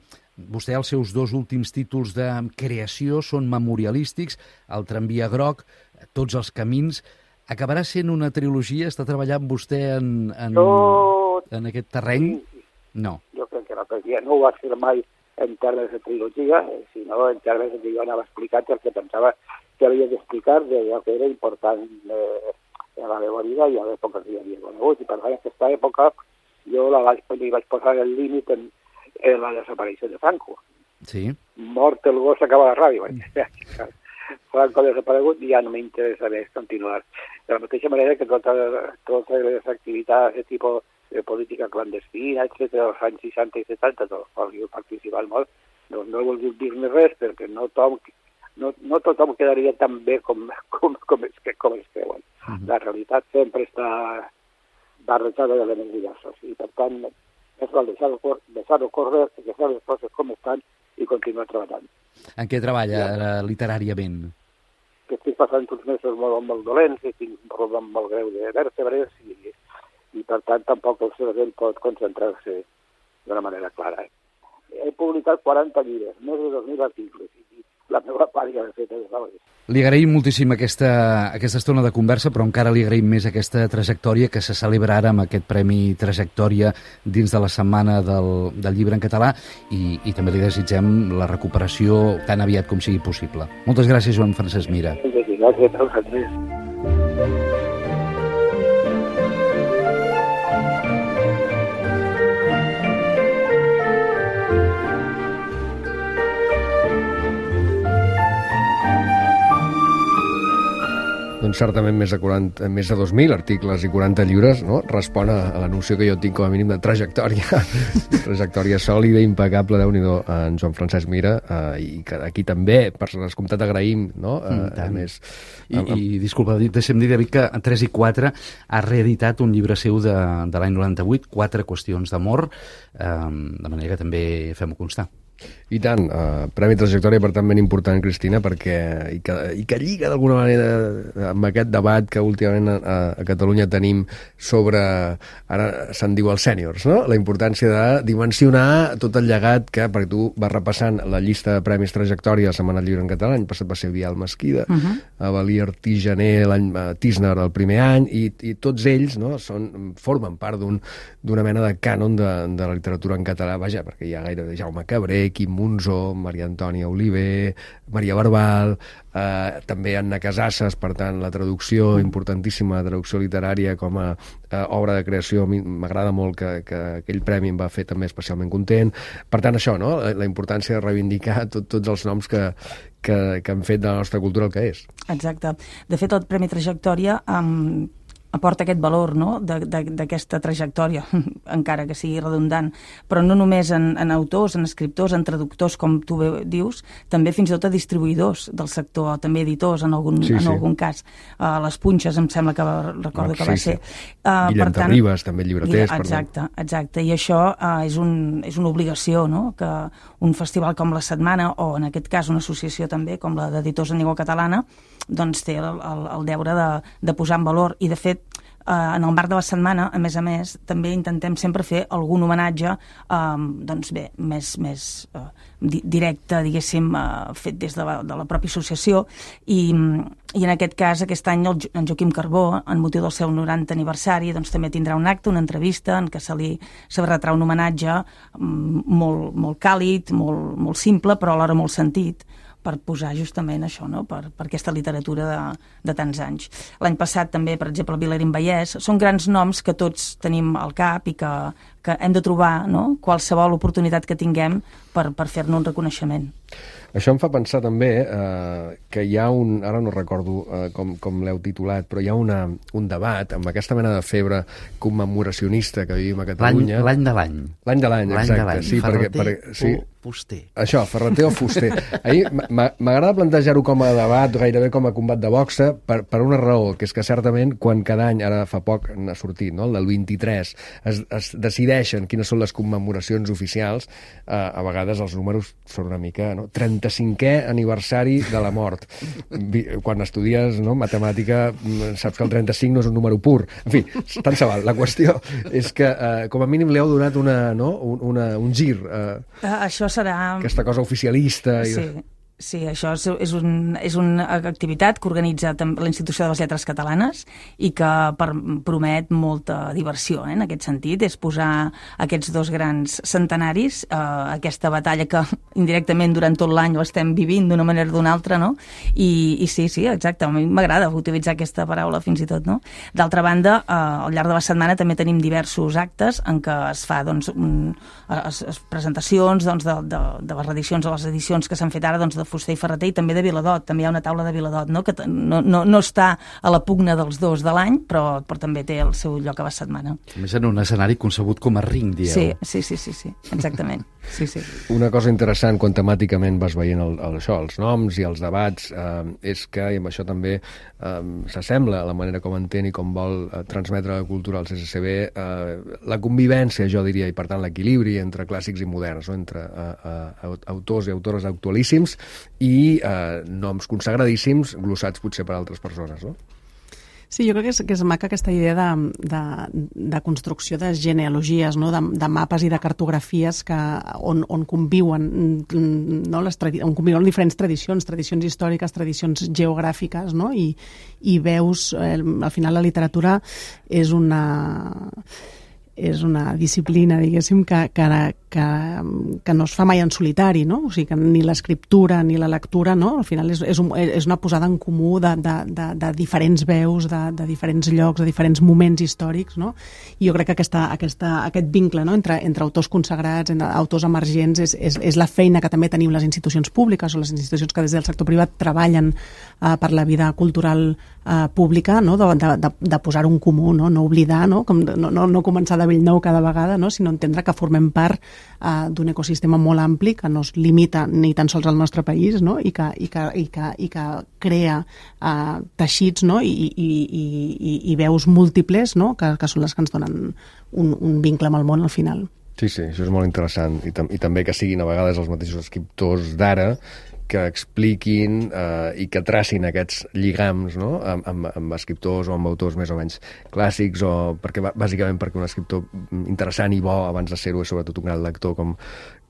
vostè els seus dos últims títols de creació són memorialístics, el tramvia groc, tots els camins. Acabarà sent una trilogia? Està treballant vostè en, en, no, en aquest terreny? Sí, sí. No. Jo crec que la poesia no ho va fer mai en termes de trilogia, sinó en termes que jo anava explicant el que pensava que havia d'explicar d'allò que era important eh, a la meva vida i a l'època que hi havia conegut. I per tant, en aquesta època jo la vaig, li vaig posar el límit en, en la desaparició de Franco. Sí. Mort el gos acaba la ràdio. Franco ha desaparegut i ja no m'interessa més continuar. De la mateixa manera que totes, totes les activitats de tipus de política clandestina, etcètera, dels anys seixanta i setanta, dels quals jo participat molt, doncs no he volgut dir-ne res perquè no tothom, no, no tothom quedaria tan bé com, com, com, es, com es creuen. Uh-huh. La realitat sempre està barrejada d'elements diversos i per tant és val deixar-ho deixar córrer, deixar les coses com estan i continuar treballant. En què treballa ja. literàriament? Que estic passant uns mesos molt, molt dolents i tinc un problema molt greu de vèrtebres i i per tant tampoc el cervell pot concentrar-se d'una manera clara. He publicat quaranta llibres, més de dos mil articles, i la meva part ja l'he fet des d'altres. Li agraïm moltíssim aquesta, aquesta estona de conversa, però encara li agraïm més aquesta trajectòria que se celebra ara amb aquest Premi Trajectòria dins de la Setmana del, del Llibre en Català i, i també li desitgem la recuperació tan aviat com sigui possible. Moltes gràcies, Joan Francesc Mira. Gràcies a vosaltres. Doncs certament més de, quaranta, més de dos mil articles i quaranta llibres, no? Respon a, a la noció que jo tinc com a mínim de trajectòria. Trajectòria sòlida, impecable, Déu-n'hi-do, en Joan Francesc Mira, eh, i que aquí també, per descomptat, agraïm, no? Eh, a més, I, amb... I disculpa, deixem dir, David, que en tres i quatre ha reeditat un llibre seu de, de l'any noranta-vuit, Quatre qüestions d'amor, eh, de manera que també fem-ho constar. I tant, uh, Premi Trajectòria, per tant, ben important, Cristina, perquè i que, i que lliga d'alguna manera amb aquest debat que últimament a, a Catalunya tenim sobre, ara se'n diu els sèniors, no? La importància de dimensionar tot el llegat que, perquè tu vas repassant la llista de Premis Trajectòria a Setmana del Llibre en Català, l'any passat va ser Vial Mesquida, uh-huh. Avalí Artigener, l'any Tisner el primer any, i, i tots ells, no, són, formen part d'un, d'una mena de cànon de, de la literatura en català, vaja, perquè hi ha gairebé Jaume Cabré, Quim Monzó, Maria Antònia Oliver, Maria Barbal, eh, també Anna Casasses, per tant, la traducció, importantíssima traducció literària com a eh, obra de creació, m'agrada molt que, que aquell premi em va fer també especialment content. Per tant, això, no? La, la importància de reivindicar tot, tots els noms que, que, que han fet de la nostra cultura el que és. Exacte. De fet, el Premi Trajectòria um, aporta aquest valor, no?, d'aquesta trajectòria, encara que sigui redundant, però no només en, en autors, en escriptors, en traductors, com tu bé dius, també fins i tot a distribuïdors del sector, també editors en algun, sí, en sí. algun cas. Uh, les Punxes, em sembla que va, recordo no, que va sí, ser. Sí. Uh, Guillem Terribas, també llibreters. Exacte, exacte, i això uh, és, un, és una obligació, no?, que un festival com la Setmana, o en aquest cas una associació també, com la d'Editors en Llengua Catalana, doncs té el, el, el deure de, de posar en valor, i de fet Uh, en el marc de la setmana, a més a més, també intentem sempre fer algun homenatge um, doncs bé, més, més uh, di directe, diguéssim, uh, fet des de la, de la pròpia associació, i, i en aquest cas, aquest any el, en Joaquim Carbó, en motiu del seu norantè aniversari, doncs també tindrà un acte, una entrevista en què se li retrà un homenatge um, molt, molt càlid, molt, molt simple, però alhora molt sentit, per posar justament això, no?, per, per aquesta literatura de, de tants anys. L'any passat també, per exemple, Vilarín Vallès, són grans noms que tots tenim al cap i que, que hem de trobar, no?, qualsevol oportunitat que tinguem per, per fer-ne un reconeixement. Això em fa pensar també eh, que hi ha un, ara no recordo eh, com, com l'heu titulat, però hi ha una, un debat amb aquesta mena de febre commemoracionista que vivim a Catalunya. L'any de l'any. L'any de l'any, exacte. Sí, Ferreter perquè, perquè, sí. o Fuster. Això, Ferreter o Fuster. Ahir m'agrada plantejar-ho com a debat, gairebé com a combat de boxa, per, per una raó, que és que certament quan cada any, ara fa poc n'ha sortit, no?, el del vint-i-tres, es, es decideixen quines són les commemoracions oficials, eh, a vegades vegades els números són una mica... No? trenta-cinquè aniversari de la mort. Quan estudies, no, matemàtica, saps que el trenta-cinc no és un número pur. En fi, tant se val. La qüestió és que, eh, com a mínim, li heu donat una, no? una, un gir. Eh, uh, això serà... Aquesta cosa oficialista. I... Sí. Sí, això és, és, un, és una activitat que organitza la Institució de les Lletres Catalanes i que per, promet molta diversió, eh, en aquest sentit. És posar aquests dos grans centenaris, eh, aquesta batalla que indirectament durant tot l'any ho estem vivint d'una manera o d'una altra, no? I, i sí, sí, exacte, a mi m'agrada utilitzar aquesta paraula fins i tot, no? D'altra banda, eh, al llarg de la setmana també tenim diversos actes en què es fa, doncs, un, es, es presentacions, doncs, de, de, de les reedicions o les edicions que s'han fet ara, doncs, de Fuster i Ferreter, i també de Viladot. També hi ha una taula de Viladot, no? Que no, no, no està a la pugna dels dos de l'any, però, però també té el seu lloc a la setmana. A més, en un escenari concebut com a ring, dieu. Sí, sí, sí, sí, sí, exactament. Sí, sí. Una cosa interessant quan temàticament vas veient el, el, això, els noms i els debats, eh, és que, i amb això també eh, s'assembla a la manera com entén i com vol eh, transmetre la cultura al C C C B, eh, la convivència, jo diria, i per tant l'equilibri entre clàssics i moderns, no? Entre eh, eh, autors i autores actualíssims i eh, noms consagradíssims glossats potser per altres persones, no? Sí, jo crec que és, que és maca aquesta idea de, de, de construcció de genealogies, no? de, de mapes i de cartografies que, on, on conviuen, no? Les tradi- on conviuen diferents tradicions, tradicions històriques, tradicions geogràfiques, no? I, i veus, eh, al final la literatura és una... és una disciplina, diguéssim, que, que, que, que no es fa mai en solitari, no? O sigui, que ni l'escriptura ni la lectura, no? Al final és, és, un, és una posada en comú de, de, de, de diferents veus, de, de diferents llocs, de diferents moments històrics, no? I jo crec que aquesta, aquesta, aquest vincle, no? entre, entre autors consagrats, entre autors emergents, és, és, és la feina que també tenim les institucions públiques o les institucions que des del sector privat treballen eh, per la vida cultural eh, pública, no? de, de, de posar un comú, no? No oblidar, no? Com, no, no, no començar de Bellnou cada vegada, no? Sinó entendre que formem part uh, d'un ecosistema molt ampli que no es limita ni tan sols al nostre país, no? I, que, i, que, i, que, i que crea uh, teixits, no? I, i, i, i, i veus múltiples, no? que, que són les que ens donen un, un vincle amb el món al final. Sí, sí, això és molt interessant. I, tam i també que siguin a vegades els mateixos escriptors d'ara que expliquin eh, i que tracin aquests lligams, no? amb, amb, amb escriptors o amb autors més o menys clàssics, o perquè, bàsicament perquè un escriptor interessant i bo abans de ser-ho és sobretot un gran lector, com,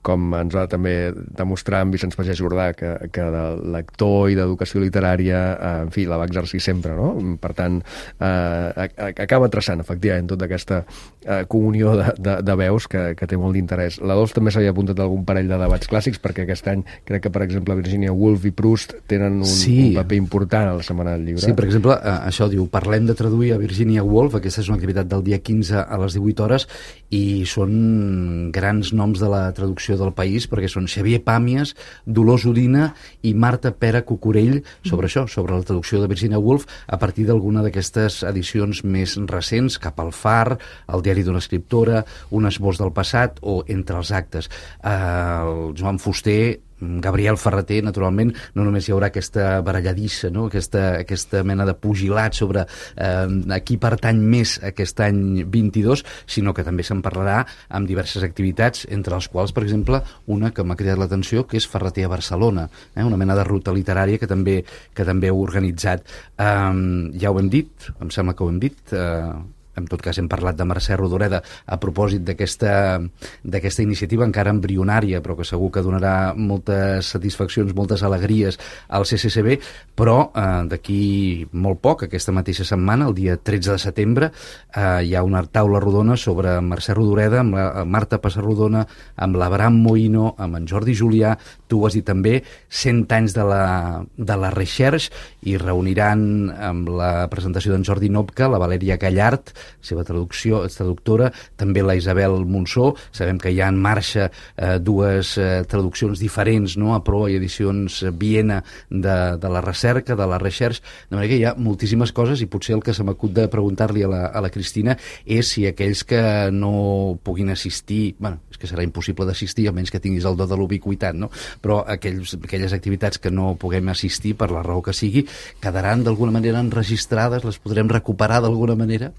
com ens va també demostrar en Vicenç Pagès Jordà, que, que de lector i d'educació literària, eh, en fi, la va exercir sempre, no? Per tant, eh, acaba traçant, efectivament, tota aquesta eh, comunió de, de, de veus que, que té molt d'interès. La Dols també s'havia apuntat algun parell de debats clàssics, perquè aquest any crec que, per exemple, Virginia Woolf i Proust tenen un, sí. un paper important a la Setmana del Llibre. Sí, per exemple, eh, això diu, parlem de traduir a Virginia Woolf, aquesta és una activitat del dia quinze a les divuit hores, i són grans noms de la traducció del país, perquè són Xavier Pàmies, Dolors Udina i Marta Pera Cucurell sobre això, sobre la traducció de Virginia Woolf a partir d'alguna d'aquestes edicions més recents, Cap al far, El diari d'una escriptora, Un esbós del passat o Entre els actes. Eh, el Joan Fuster, Gabriel Ferreter, naturalment, no només hi haurà aquesta baralladissa, no? aquesta, aquesta mena de pugilat sobre eh, a qui pertany més aquest any vint-i-dos, sinó que també se'n parlarà amb diverses activitats, entre les quals, per exemple, una que m'ha cridat l'atenció, que és Ferreter a Barcelona, eh? una mena de ruta literària que també, que també heu organitzat. Eh, ja ho hem dit, em sembla que ho hem dit, eh, en tot cas hem parlat de Mercè Rodoreda a propòsit d'aquesta d'aquesta iniciativa encara embrionària, però que segur que donarà moltes satisfaccions, moltes alegries al C C C B, però eh, d'aquí molt poc, aquesta mateixa setmana, el dia tretze de setembre, eh, hi ha una taula rodona sobre Mercè Rodoreda, amb la Marta Passarrodona, amb l'Abraham Moïno, amb en Jordi Julià, tu ho has dit també, cent anys de la, de la Recherche, i reuniran amb la presentació d'en Jordi Nopka, la Valèria Gallart, seva traducció, traductora, també la Isabel Monsó. Sabem que hi ha en marxa eh, dues eh, traduccions diferents, no? A Proa i Edicions Viena de, de la recerca, de la recherche, de manera que hi ha moltíssimes coses, i potser el que se m'acut de preguntar-li a la, a la Cristina és si aquells que no puguin assistir, bueno, és que serà impossible d'assistir a menys que tinguis el do de l'ubiquitat, no? Però aquells, aquelles activitats que no puguem assistir per la raó que sigui, quedaran d'alguna manera enregistrades, les podrem recuperar d'alguna manera?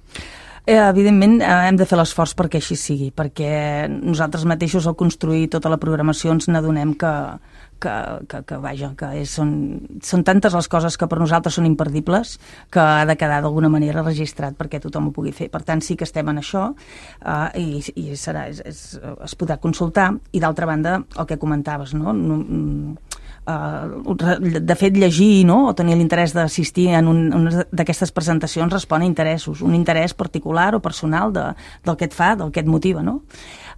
Eh, evidentment eh, hem de fer l'esforç perquè així sigui, perquè nosaltres mateixos al construir tota la programació ens n'adonem que, que, que, que, vaja, que és, són, són tantes les coses que per nosaltres són imperdibles que ha de quedar d'alguna manera registrat perquè tothom ho pugui fer. Per tant, sí que estem en això eh, i, i serà, és, és, es podrà consultar. I d'altra banda, el que comentaves, no? no Uh, de fet, llegir, no? O tenir l'interès d'assistir en un, una d'aquestes presentacions respon a interessos, un interès particular o personal de, del que et fa, del que et motiva, no?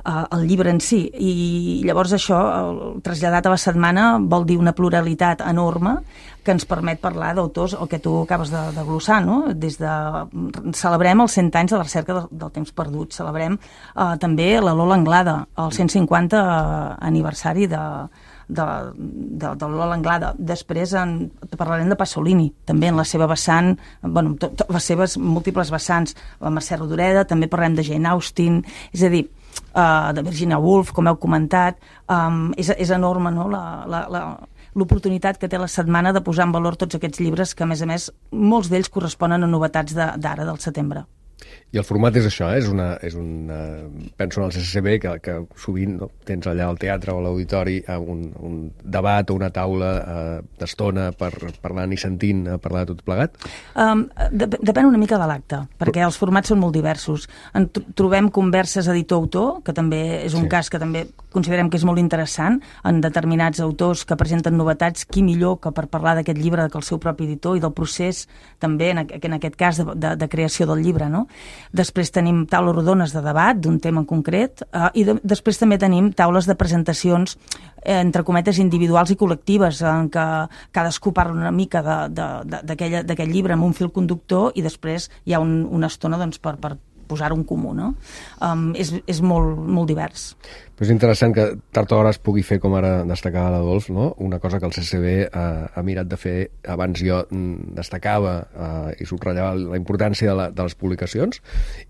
Uh, el llibre en si. I llavors això, el traslladat a la setmana, vol dir una pluralitat enorme que ens permet parlar d'autors, el que tu acabes de, de glossar, no? Des de... Celebrem els cent anys de la recerca del, del temps perdut, celebrem uh, també la Lola Anglada, el cent cinquanta aniversari de de, de, de Lola Anglada. Després en, parlarem de Pasolini, també en la seva vessant, bueno, to, to, les seves múltiples vessants, la Mercè Rodoreda, també parlem de Jane Austen, és a dir, uh, de Virginia Woolf, com heu comentat, um, és, és enorme, no?, la, la, la, l'oportunitat que té la setmana de posar en valor tots aquests llibres que, a més a més, molts d'ells corresponen a novetats d'ara, del setembre. I el format és això, eh? és una, és una, penso en el C C C B, que, que sovint no, tens allà al teatre o a l'auditori un, un debat o una taula eh, d'estona per parlant i sentint eh, parlar de tot plegat? Um, de, depèn una mica de l'acte, perquè Però... els formats són molt diversos. En trobem converses editor-autor, que també és un sí. cas que també considerem que és molt interessant, en determinats autors que presenten novetats, qui millor que per parlar d'aquest llibre que el seu propi editor i del procés també, en, en aquest cas, de, de, de creació del llibre, no? Després tenim taules rodones de debat d'un tema en concret eh, i de, després també tenim taules de presentacions eh, entre cometes individuals i col·lectives en què cadascú parla una mica d'aquell llibre amb un fil conductor i després hi ha un, una estona doncs, per, per posar-ho en comú, no? Um, és és molt, molt divers. Però és interessant que tard o d'hora es pugui fer, com ara destacava l'Adolf, no? Una cosa que el C C C B eh, ha mirat de fer, abans jo destacava eh, i subratllava la importància de, la, de les publicacions,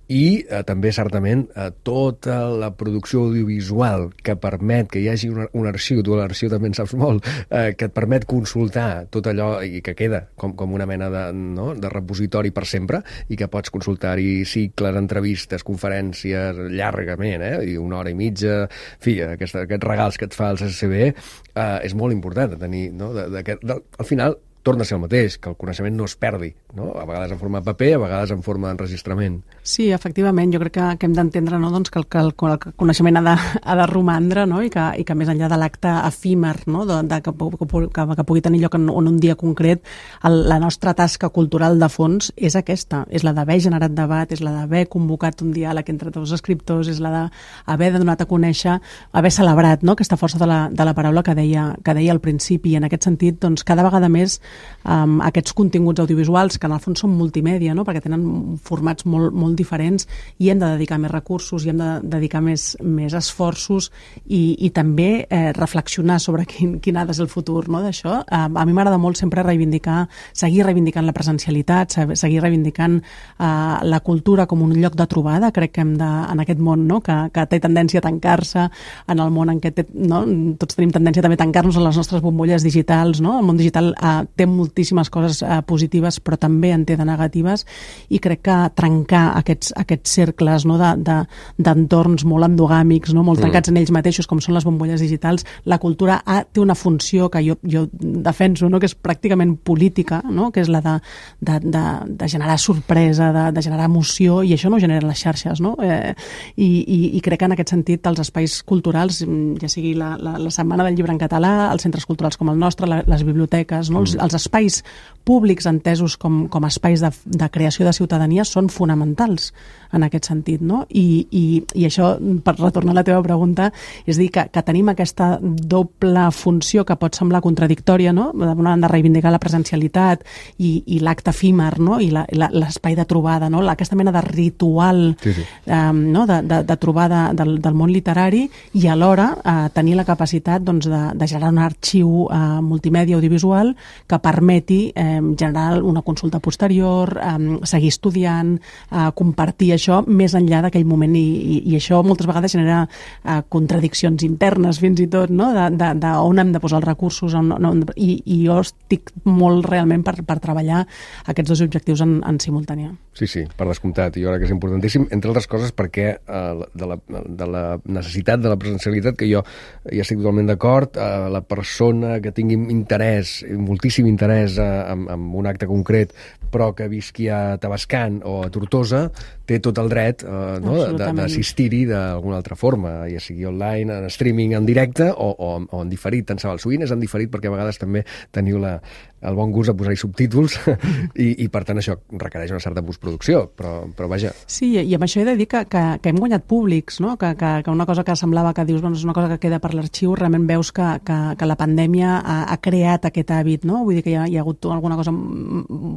i eh, també, certament, eh, tota la producció audiovisual que permet que hi hagi un, un arxiu, tu l'arxiu també en saps molt, eh, que et permet consultar tot allò i que queda com, com una mena de, no? de repositori per sempre, i que pots consultar-hi cicles, entrevistes, conferències, llargament, eh? I una hora i mitja. En fi, aquest, aquests regals que et fa el C C C B eh, és molt important de tenir, no? de, de, de, al final torna a ser el mateix, que el coneixement no es perdi, no? A vegades en forma de paper, a vegades en forma d'enregistrament. Sí, efectivament, jo crec que, que hem d'entendre, no? doncs que, el, que el, el coneixement ha de, ha de romandre, no? I, que, i que més enllà de l'acte efímer, no? de, de, que, que, que, que pugui tenir lloc en, en un dia concret, el, la nostra tasca cultural de fons és aquesta, és la d'haver generat debat, és la d'haver convocat un diàleg entre dos escriptors, és la d'haver donat a conèixer, haver celebrat, no? aquesta força de la, de la paraula que deia, que deia al principi, i en aquest sentit, doncs, cada vegada més Um, aquests continguts audiovisuals, que en el fons són multimèdia, no? perquè tenen formats molt, molt diferents, i hem de dedicar més recursos i hem de dedicar més, més esforços i, i també eh, reflexionar sobre quin, quin ha de ser el futur, no? d'això. Um, a mi m'agrada molt sempre reivindicar, seguir reivindicant la presencialitat, seguir reivindicant uh, la cultura com un lloc de trobada. Crec que hem de, en aquest món, no? que, que té tendència a tancar-se, en el món en què té, no? tots tenim tendència també a tancar-nos en les nostres bombolles digitals, no? El món digital uh, té moltíssimes coses eh, positives, però també en té de negatives, i crec que trencar aquests, aquests cercles, no, d'entorns de, molt endogàmics, no, molt trencats mm. en ells mateixos, com són les bombolles digitals, la cultura ha, té una funció que jo, jo defenso, no, que és pràcticament política, no, que és la de, de, de, de generar sorpresa, de, de generar emoció, i això no ho generen les xarxes, no? Eh, i, i, i crec que en aquest sentit els espais culturals, ja sigui la, la, la Setmana del Llibre en català, els centres culturals com el nostre, la, les biblioteques, no? els, els espais públics entesos com, com espais de, de creació de ciutadania són fonamentals en aquest sentit, no? I, i, i això, per retornar a la teva pregunta, és dir que, que tenim aquesta doble funció que pot semblar contradictòria, no? D'una banda, reivindicar la presencialitat i, i l'acte efímer, no? I l'espai de trobada, no? Aquesta mena de ritual sí, sí. Um, no? de, de, de trobada del, del món literari, i alhora uh, tenir la capacitat doncs, de, de generar un arxiu uh, multimèdia audiovisual que permeti eh, generar una consulta posterior, eh, seguir estudiant, eh, compartir això més enllà d'aquell moment i, i, i això moltes vegades genera eh, contradiccions internes fins i tot, no? de, de, de on hem de posar els recursos on, on, i, i jo estic molt realment per, per treballar aquests dos objectius en, en simultània. Sí, sí, per descomptat, i jo crec que és importantíssim, entre altres coses perquè eh, de, la, de la necessitat de la presencialitat, que jo ja estic totalment d'acord, eh, la persona que tingui interès, moltíssim interès eh, en, en un acte concret, però que visqui a Tavascan o a Tortosa, té tot el dret eh, no, d'assistir-hi d'alguna altra forma, ja sigui online, en streaming, en directe o, o, o en diferit, tant se val. Sovint és en diferit perquè a vegades també teniu la, el bon gust de posar-hi subtítols i, i per tant això requereix una certa postproducció, però, però vaja. Sí, i amb això he de dir que, que, que hem guanyat públics, no? que, que, que una cosa que semblava que dius, bueno, és una cosa que queda per l'arxiu, realment veus que, que, que la pandèmia ha, ha creat aquest hàbit, no? Vull dir que hi ha, hi ha hagut alguna cosa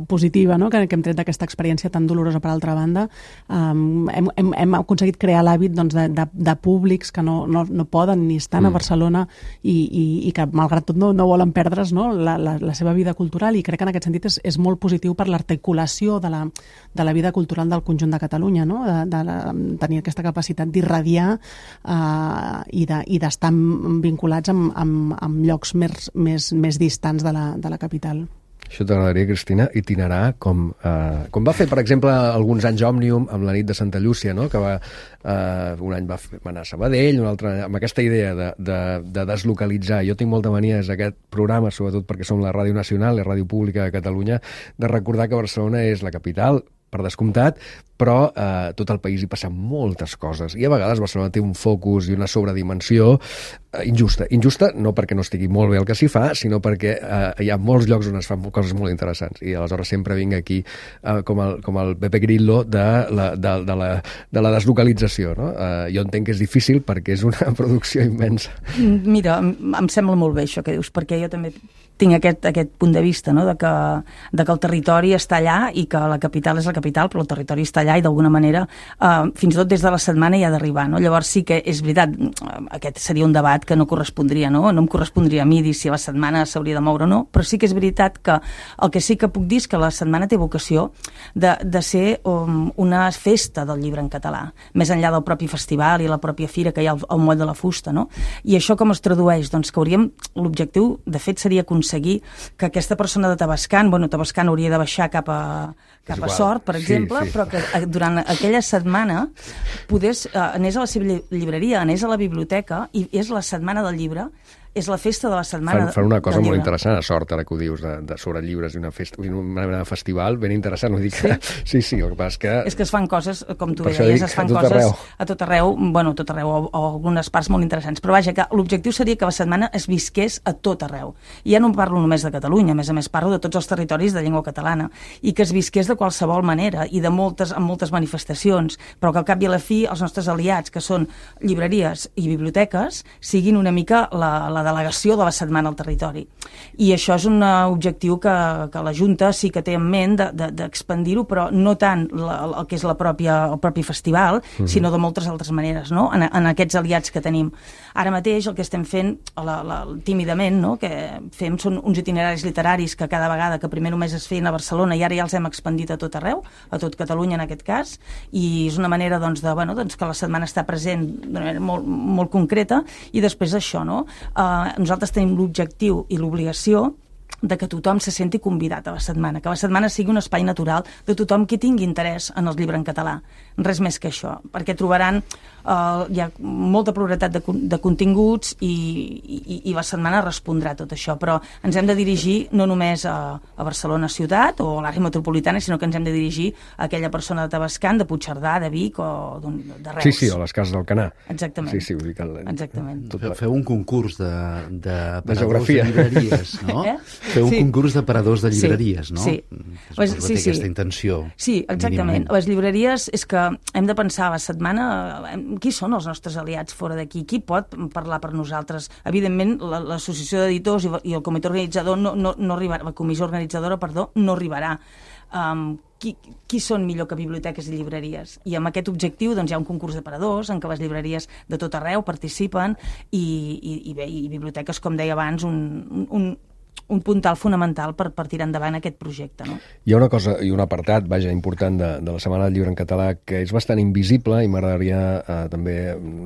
positiva, no? que, que hem tret d'aquesta experiència tan dolorosa per altra banda. Um, hem, hem, hem aconseguit crear l'hàbit doncs, de, de, de públics que no, no, no poden ni estar mm. a Barcelona i, i, i que malgrat tot no, no volen perdre's, no? la, la, la seva vida cultural, i crec que en aquest sentit és, és molt positiu per l'articulació de la, de la vida cultural del conjunt de Catalunya, no? de, de la, tenir aquesta capacitat d'irradiar uh, i d'estar de, vinculats amb, amb, amb llocs més, més, més distants de la, de la capital. Això t'agradaria, Cristina, itinerar com, eh, com va fer, per exemple, alguns anys Òmnium amb la nit de Santa Llúcia, no? que va, eh, un any va, fer, va anar a Sabadell, un altre amb aquesta idea de, de, de deslocalitzar. Jo tinc molta mania des d'aquest programa, sobretot perquè som la Ràdio Nacional, la Ràdio Pública de Catalunya, de recordar que Barcelona és la capital, per descomptat, però eh, tot el país hi passen moltes coses i a vegades Barcelona té un focus i una sobredimensió eh, injusta. Injusta no perquè no estigui molt bé el que s'hi fa, sinó perquè eh, hi ha molts llocs on es fan coses molt interessants i aleshores sempre vinc aquí eh, com, el, com el Pepe Grillo de la, de, de la, de la deslocalització. No? Eh, jo entenc que és difícil perquè és una producció immensa. Mira, em sembla molt bé això que dius, perquè jo també tinc aquest, aquest punt de vista, no? de, que, de que el territori està allà i que la capital és la capital, però el territori està allà i d'alguna manera eh, fins i tot des de la setmana hi ha d'arribar. No? Llavors sí que és veritat, aquest seria un debat que no correspondria, no? No em correspondria a mi dir si la setmana s'hauria de moure o no, però sí que és veritat que el que sí que puc dir és que la setmana té vocació de, de ser um, una festa del llibre en català, més enllà del propi festival i la pròpia fira que hi ha al, al Moll de la Fusta. No? I això com es tradueix? Doncs que hauríem, l'objectiu de fet seria aconseguir que aquesta persona de Tavascan, bueno, Tavascan hauria de baixar cap a, cap a Sort, per exemple, sí, sí. però que durant aquella setmana podés, eh, anés a la seva llibreria, anés a la biblioteca, i és la setmana del llibre, és la festa de la setmana fan, fan una cosa molt interessant, a Sort, ara que ho dius, de, de sobre llibres i una festa, una mena de festival ben interessant, vull dir que sí, sí, sí el que passa és que... És que es fan coses, com tu deies, es fan a coses arreu. a tot arreu, bueno, a tot arreu, o, o algunes parts molt interessants, però vaja, que l'objectiu seria que la setmana es visqués a tot arreu. I ja no parlo només de Catalunya, a més a més parlo de tots els territoris de llengua catalana, i que es visqués de qualsevol manera, i de moltes, amb moltes manifestacions, però que al cap i a la fi els nostres aliats, que són llibreries i biblioteques, siguin una mica la, la la delegació de la setmana al territori. I això és un objectiu que, que la Junta sí que té en ment d'expandir-ho, de, de, però no tant la, el que és la pròpia, el propi festival, uh-huh. sinó de moltes altres maneres, no? en, en aquests aliats que tenim. Ara mateix el que estem fent, la, la, tímidament, no? que fem són uns itineraris literaris que cada vegada, que primer només es feien a Barcelona i ara ja els hem expandit a tot arreu, a tot Catalunya en aquest cas, i és una manera doncs, de, bueno, doncs, que la setmana està present d'una manera molt, molt concreta, i després això, no? Uh, nosaltres tenim l'objectiu i l'obligació de que tothom se senti convidat a la setmana, que la setmana sigui un espai natural de tothom qui tingui interès en el llibre en català. Res més que això, perquè trobaran eh, hi ha molta pluralitat de, de continguts i, i, i la setmana respondrà a tot això, però ens hem de dirigir no només a, a Barcelona ciutat o a l'àrea metropolitana, sinó que ens hem de dirigir a aquella persona de Tavascan, de Puigcerdà, de Vic o de Reus. Sí, sí, o les cases del Canà. Exactament. Sí, sí, vull dir que... Exactament. Feu, feu un concurs de, de, de geografia. De llibreries, no? Eh? Feu un sí. concurs de paradors de llibreries, sí, no? Sí, pues, sí, sí. Aquesta intenció. Sí, exactament. Les llibreries és que hem de pensar a la setmana qui són els nostres aliats fora d'aquí, qui pot parlar per nosaltres. Evidentment, l'associació d'editors i el comitè organitzador no, no, no arribarà, la comissió organitzadora, perdó, no arribarà. Um, qui, qui són millor que biblioteques i llibreries? I amb aquest objectiu doncs, hi ha un concurs de paradors en què les llibreries de tot arreu participen i, i, i bé, i biblioteques, com deia abans, un, un, un puntal fonamental per, per tirar endavant aquest projecte. No? Hi ha una cosa i un apartat, vaja, important de, de la Setmana del Llibre en català que és bastant invisible i m'agradaria eh, també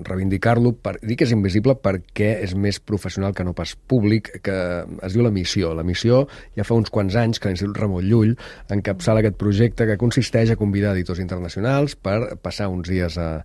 reivindicar-lo. Per, dic que és invisible perquè és més professional que no pas públic, que es diu la missió. La missió ja fa uns quants anys que l'Institut Ramon Llull encapçala aquest projecte que consisteix a convidar editors internacionals per passar uns dies a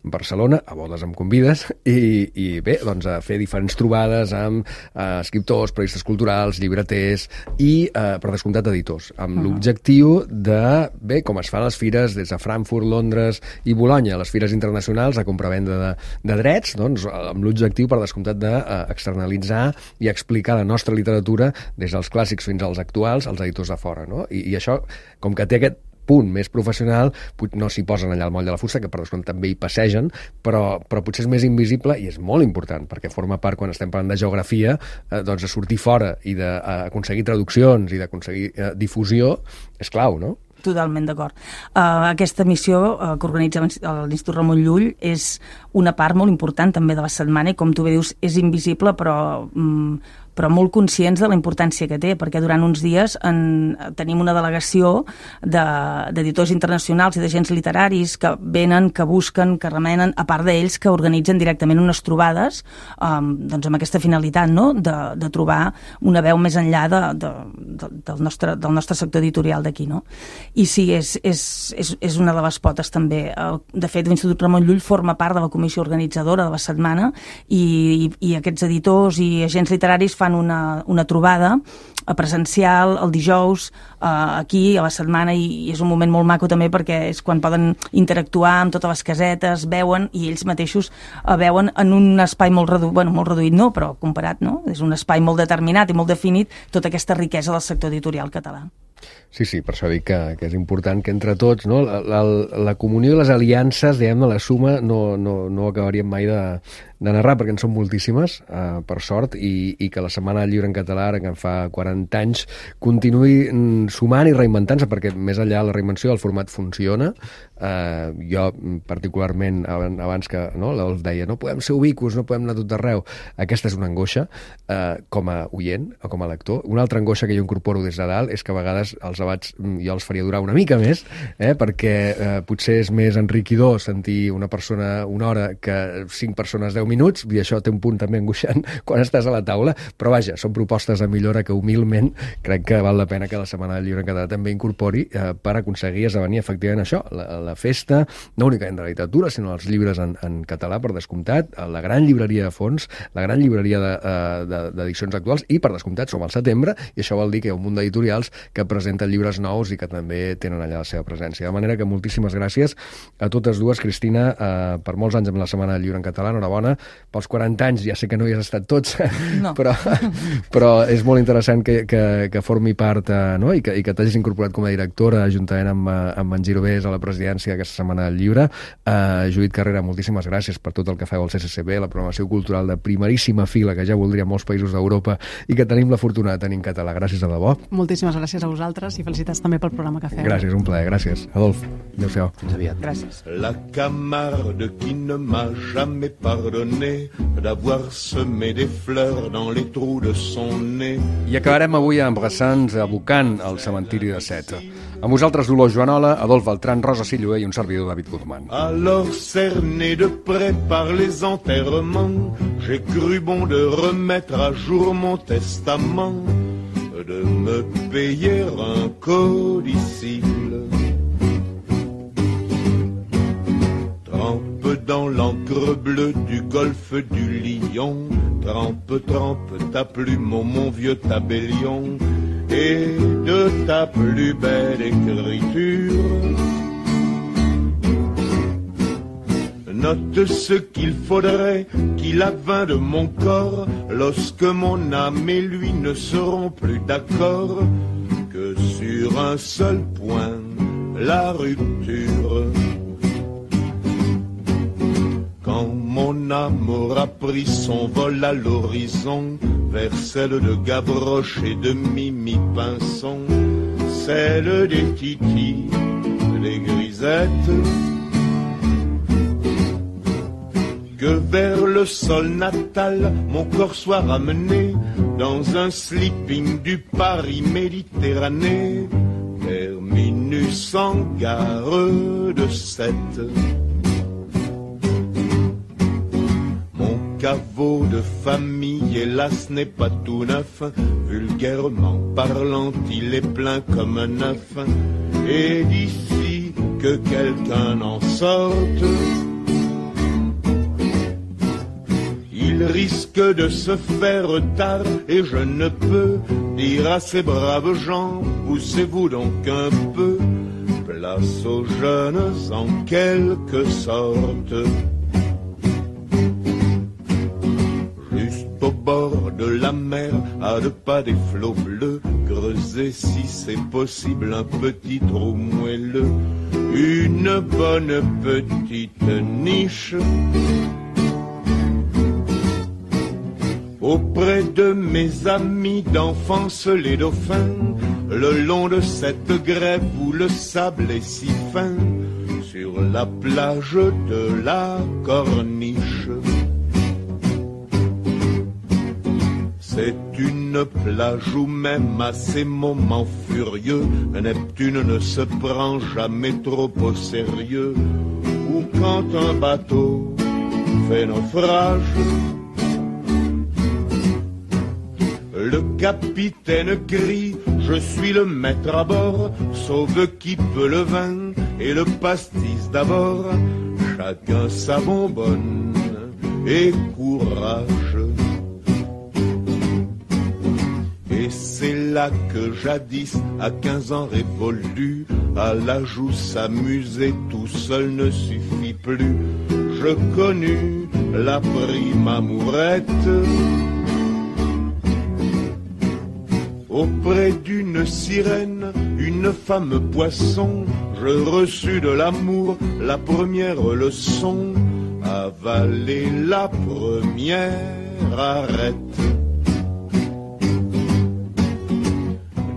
Barcelona, a bodes amb convides, i, i bé, doncs a fer diferents trobades amb eh, escriptors, periodistes culturals, llibreters i, eh, per descomptat, editors, amb uh -huh. l'objectiu de, bé, com es fa a les fires des de Frankfurt, Londres i Bolonya, les fires internacionals de compra-venda de, de drets, doncs, amb l'objectiu, per descomptat, d'externalitzar i explicar la nostra literatura des dels clàssics fins als actuals, als editors de fora, no? I, i això, com que té aquest punt més professional, no s'hi posen allà al moll de la fusta, que per descomptat també hi passegen, però, però potser és més invisible i és molt important, perquè forma part, quan estem parlant de geografia, eh, doncs de sortir fora i d'aconseguir traduccions i d'aconseguir eh, difusió és clau, no? Totalment d'acord. Uh, aquesta missió uh, que organitza l'Institut Ramon Llull és una part molt important també de la setmana i, com tu bé dius, és invisible, però... Um, però molt conscients de la importància que té, perquè durant uns dies en, tenim una delegació d'editors de, internacionals i d'agents literaris que venen, que busquen, que remenen, a part d'ells que organitzen directament unes trobades um, doncs amb aquesta finalitat, no? de, de trobar una veu més enllà de, de, de, del, nostre, del nostre sector editorial d'aquí. No? I sí, és, és, és, és una de les potes també. De fet, l'Institut Ramon Llull forma part de la comissió organitzadora de la setmana i, i, i aquests editors i agents literaris fan Una, una trobada presencial el dijous eh, aquí a la setmana i, i és un moment molt maco també perquè és quan poden interactuar amb totes les casetes, veuen i ells mateixos eh, veuen en un espai molt reduït, bueno, molt reduït no, però comparat, no? És un espai molt determinat i molt definit tota aquesta riquesa del sector editorial català. Sí, sí, per això dic que, que és important que entre tots, no, la, la, la comunió i les aliances, diguem-ne, la suma, no, no, no acabaríem mai de, de narrar, perquè en són moltíssimes, eh, per sort, i, i que la Setmana del Llibre en català, ara que en fa quaranta anys, continuï sumant i reinventant-se, perquè més enllà de la reinvenció el format funciona. Eh, jo, particularment, abans que no, l'Olf deia, no podem ser ubicus, no podem anar tot arreu. Aquesta és una angoixa, eh, com a oient o com a lector. Una altra angoixa que jo incorporo des de dalt és que a vegades els debats jo els faria durar una mica més, eh, perquè eh, potser és més enriquidor sentir una persona una hora que cinc persones deu minuts, i això té un punt també angoixant quan estàs a la taula, però vaja, són propostes de millora que humilment crec que val la pena que la Setmana del Llibre en català també incorpori eh, per aconseguir esdevenir efectivament això, la, la festa, no únicament de la literatura, sinó els llibres en, en català, per descomptat, la gran llibreria de fons, la gran llibreria d'edicions de, de, actuals, i per descomptat som al setembre, i això vol dir que hi ha un munt d'editorials que presenten llibres nous i que també tenen allà la seva presència. De manera que moltíssimes gràcies a totes dues, Cristina, eh, per molts anys amb la Setmana del Llibre en català, enhorabona, pels quaranta anys, ja sé que no hi has estat tots, no. però, però és molt interessant que, que, que formi part, eh, no? I que, i que t'hagis incorporat com a directora, juntament amb, amb en Girovés a la presidència d'aquesta Setmana del Llibre. Eh, Judit Carrera, moltíssimes gràcies per tot el que feu al C C C B, la programació cultural de primeríssima fila, que ja voldria molts països d'Europa i que tenim la fortuna de tenir en català. Gràcies a debò. Moltíssimes gràcies a vosaltres i felicitats també pel programa que feu. Gràcies, un plaer, gràcies. Adolf, adéu-siau. Fins aviat. Gràcies. La Camarde qui ne m'a jamais pardonné d'avoir semé des fleurs dans les trous de son nez. I acabarem avui embrassant, abocant al cementiri de Seta. Amb vosaltres, Dolors Joanola, Adolf Beltran, Rosa Silloé i un servidor, David Guzmán. Alors cerné de près par les enterrements, j'ai cru bon de remettre à jour mon testament, de me payer un codicille. Trempe dans l'encre bleue du golfe du Lion, trempe, trempe ta plume, oh mon vieux tabellion, et de ta plus belle écriture. Note ce qu'il faudrait qu'il advint de mon corps lorsque mon âme et lui ne seront plus d'accord, que sur un seul point, la rupture. Quand mon âme aura pris son vol à l'horizon, vers celle de Gavroche et de Mimi Pinson, celle des Titi, des Grisettes, que vers le le sol natal, mon corps soit ramené dans un sleeping du Paris Méditerranée. Terminus en gare de Sète. Mon caveau de famille, hélas, n'est pas tout neuf. Vulgairement parlant, il est plein comme un œuf. Et d'ici que quelqu'un en sorte, il risque de se faire tard. Et je ne peux dire à ces braves gens, poussez-vous donc un peu, place aux jeunes en quelque sorte. Juste au bord de la mer, à deux pas des flots bleus, creuser si c'est possible un petit trou moelleux, une bonne petite niche. Auprès de mes amis d'enfance les dauphins, le long de cette grève où le sable est si fin, sur la plage de la Corniche. C'est une plage où même à ces moments furieux, Neptune ne se prend jamais trop au sérieux, ou quand un bateau fait naufrage, le capitaine crie, je suis le maître à bord, sauve qui peut le vin et le pastis d'abord, chacun sa bonbonne et courage. Et c'est là que jadis, à quinze ans révolus, à l'âge où s'amuser tout seul ne suffit plus, je connus la prime amourette. Auprès d'une sirène, une femme poisson, je reçus de l'amour la première leçon, avaler la première arête.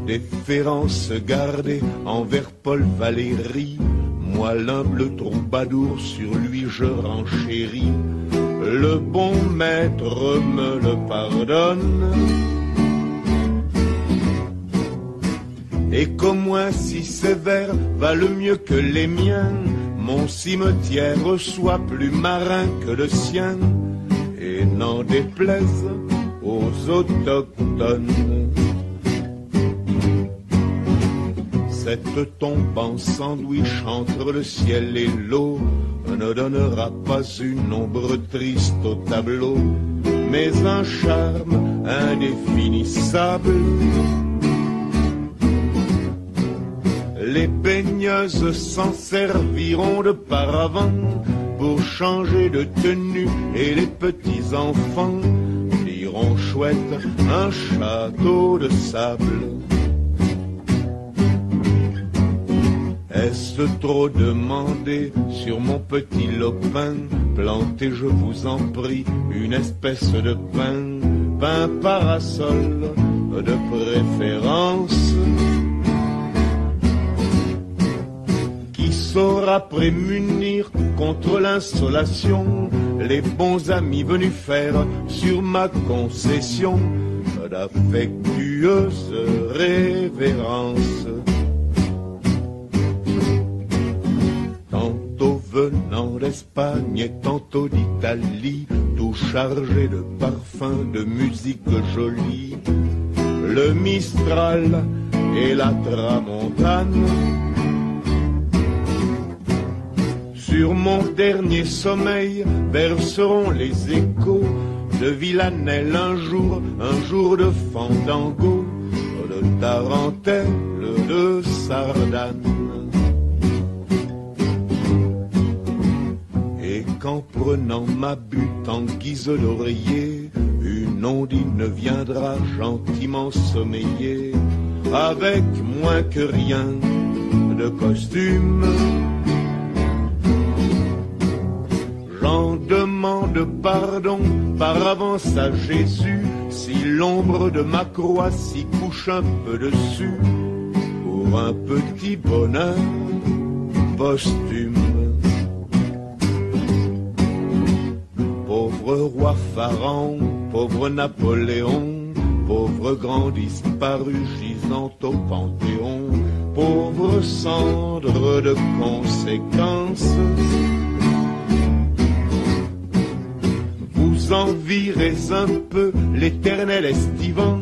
Déférence gardée envers Paul Valéry, moi l'humble troubadour, sur lui je renchéris, le bon maître me le pardonne. Et qu'au moins si sévère valent mieux que les miens, mon cimetière soit plus marin que le sien, et n'en déplaise aux autochtones. Cette tombe en sandwich entre le ciel et l'eau ne donnera pas une ombre triste au tableau, mais un charme indéfinissable. Les baigneuses s'en serviront de paravent pour changer de tenue, et les petits enfants diront chouette un château de sable. Est-ce trop demandé sur mon petit lopin, plantez je vous en prie une espèce de pin, pin parasol de préférence, saura prémunir contre l'insolation les bons amis venus faire sur ma concession d'affectueuses révérences. Tantôt venant d'Espagne et tantôt d'Italie, tout chargé de parfums, de musique jolie, le Mistral et la Tramontane. Sur mon dernier sommeil verseront les échos de Villanelle un jour, un jour de Fandango, de Tarentelle, de Sardane. Et qu'en prenant ma butte en guise d'oreiller, une ondine viendra gentiment sommeiller, avec moins que rien de costume. J'en demande pardon par avance à Jésus, si l'ombre de ma croix s'y couche un peu dessus, pour un petit bonheur posthume. Pauvre pauvre roi Pharaon, pauvre Napoléon, pauvre grand disparu gisant au Panthéon, pauvre cendre de conséquences. Vous en virez un peu l'éternel estivant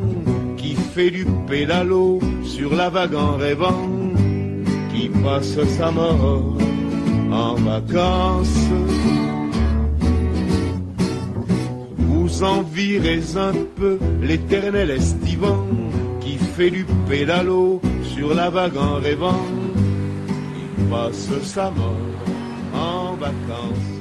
qui fait du pédalo sur la vague en rêvant, qui passe sa mort en vacances. Vous en virez un peu l'éternel estivant qui fait du pédalo sur la vague en rêvant, qui passe sa mort en vacances.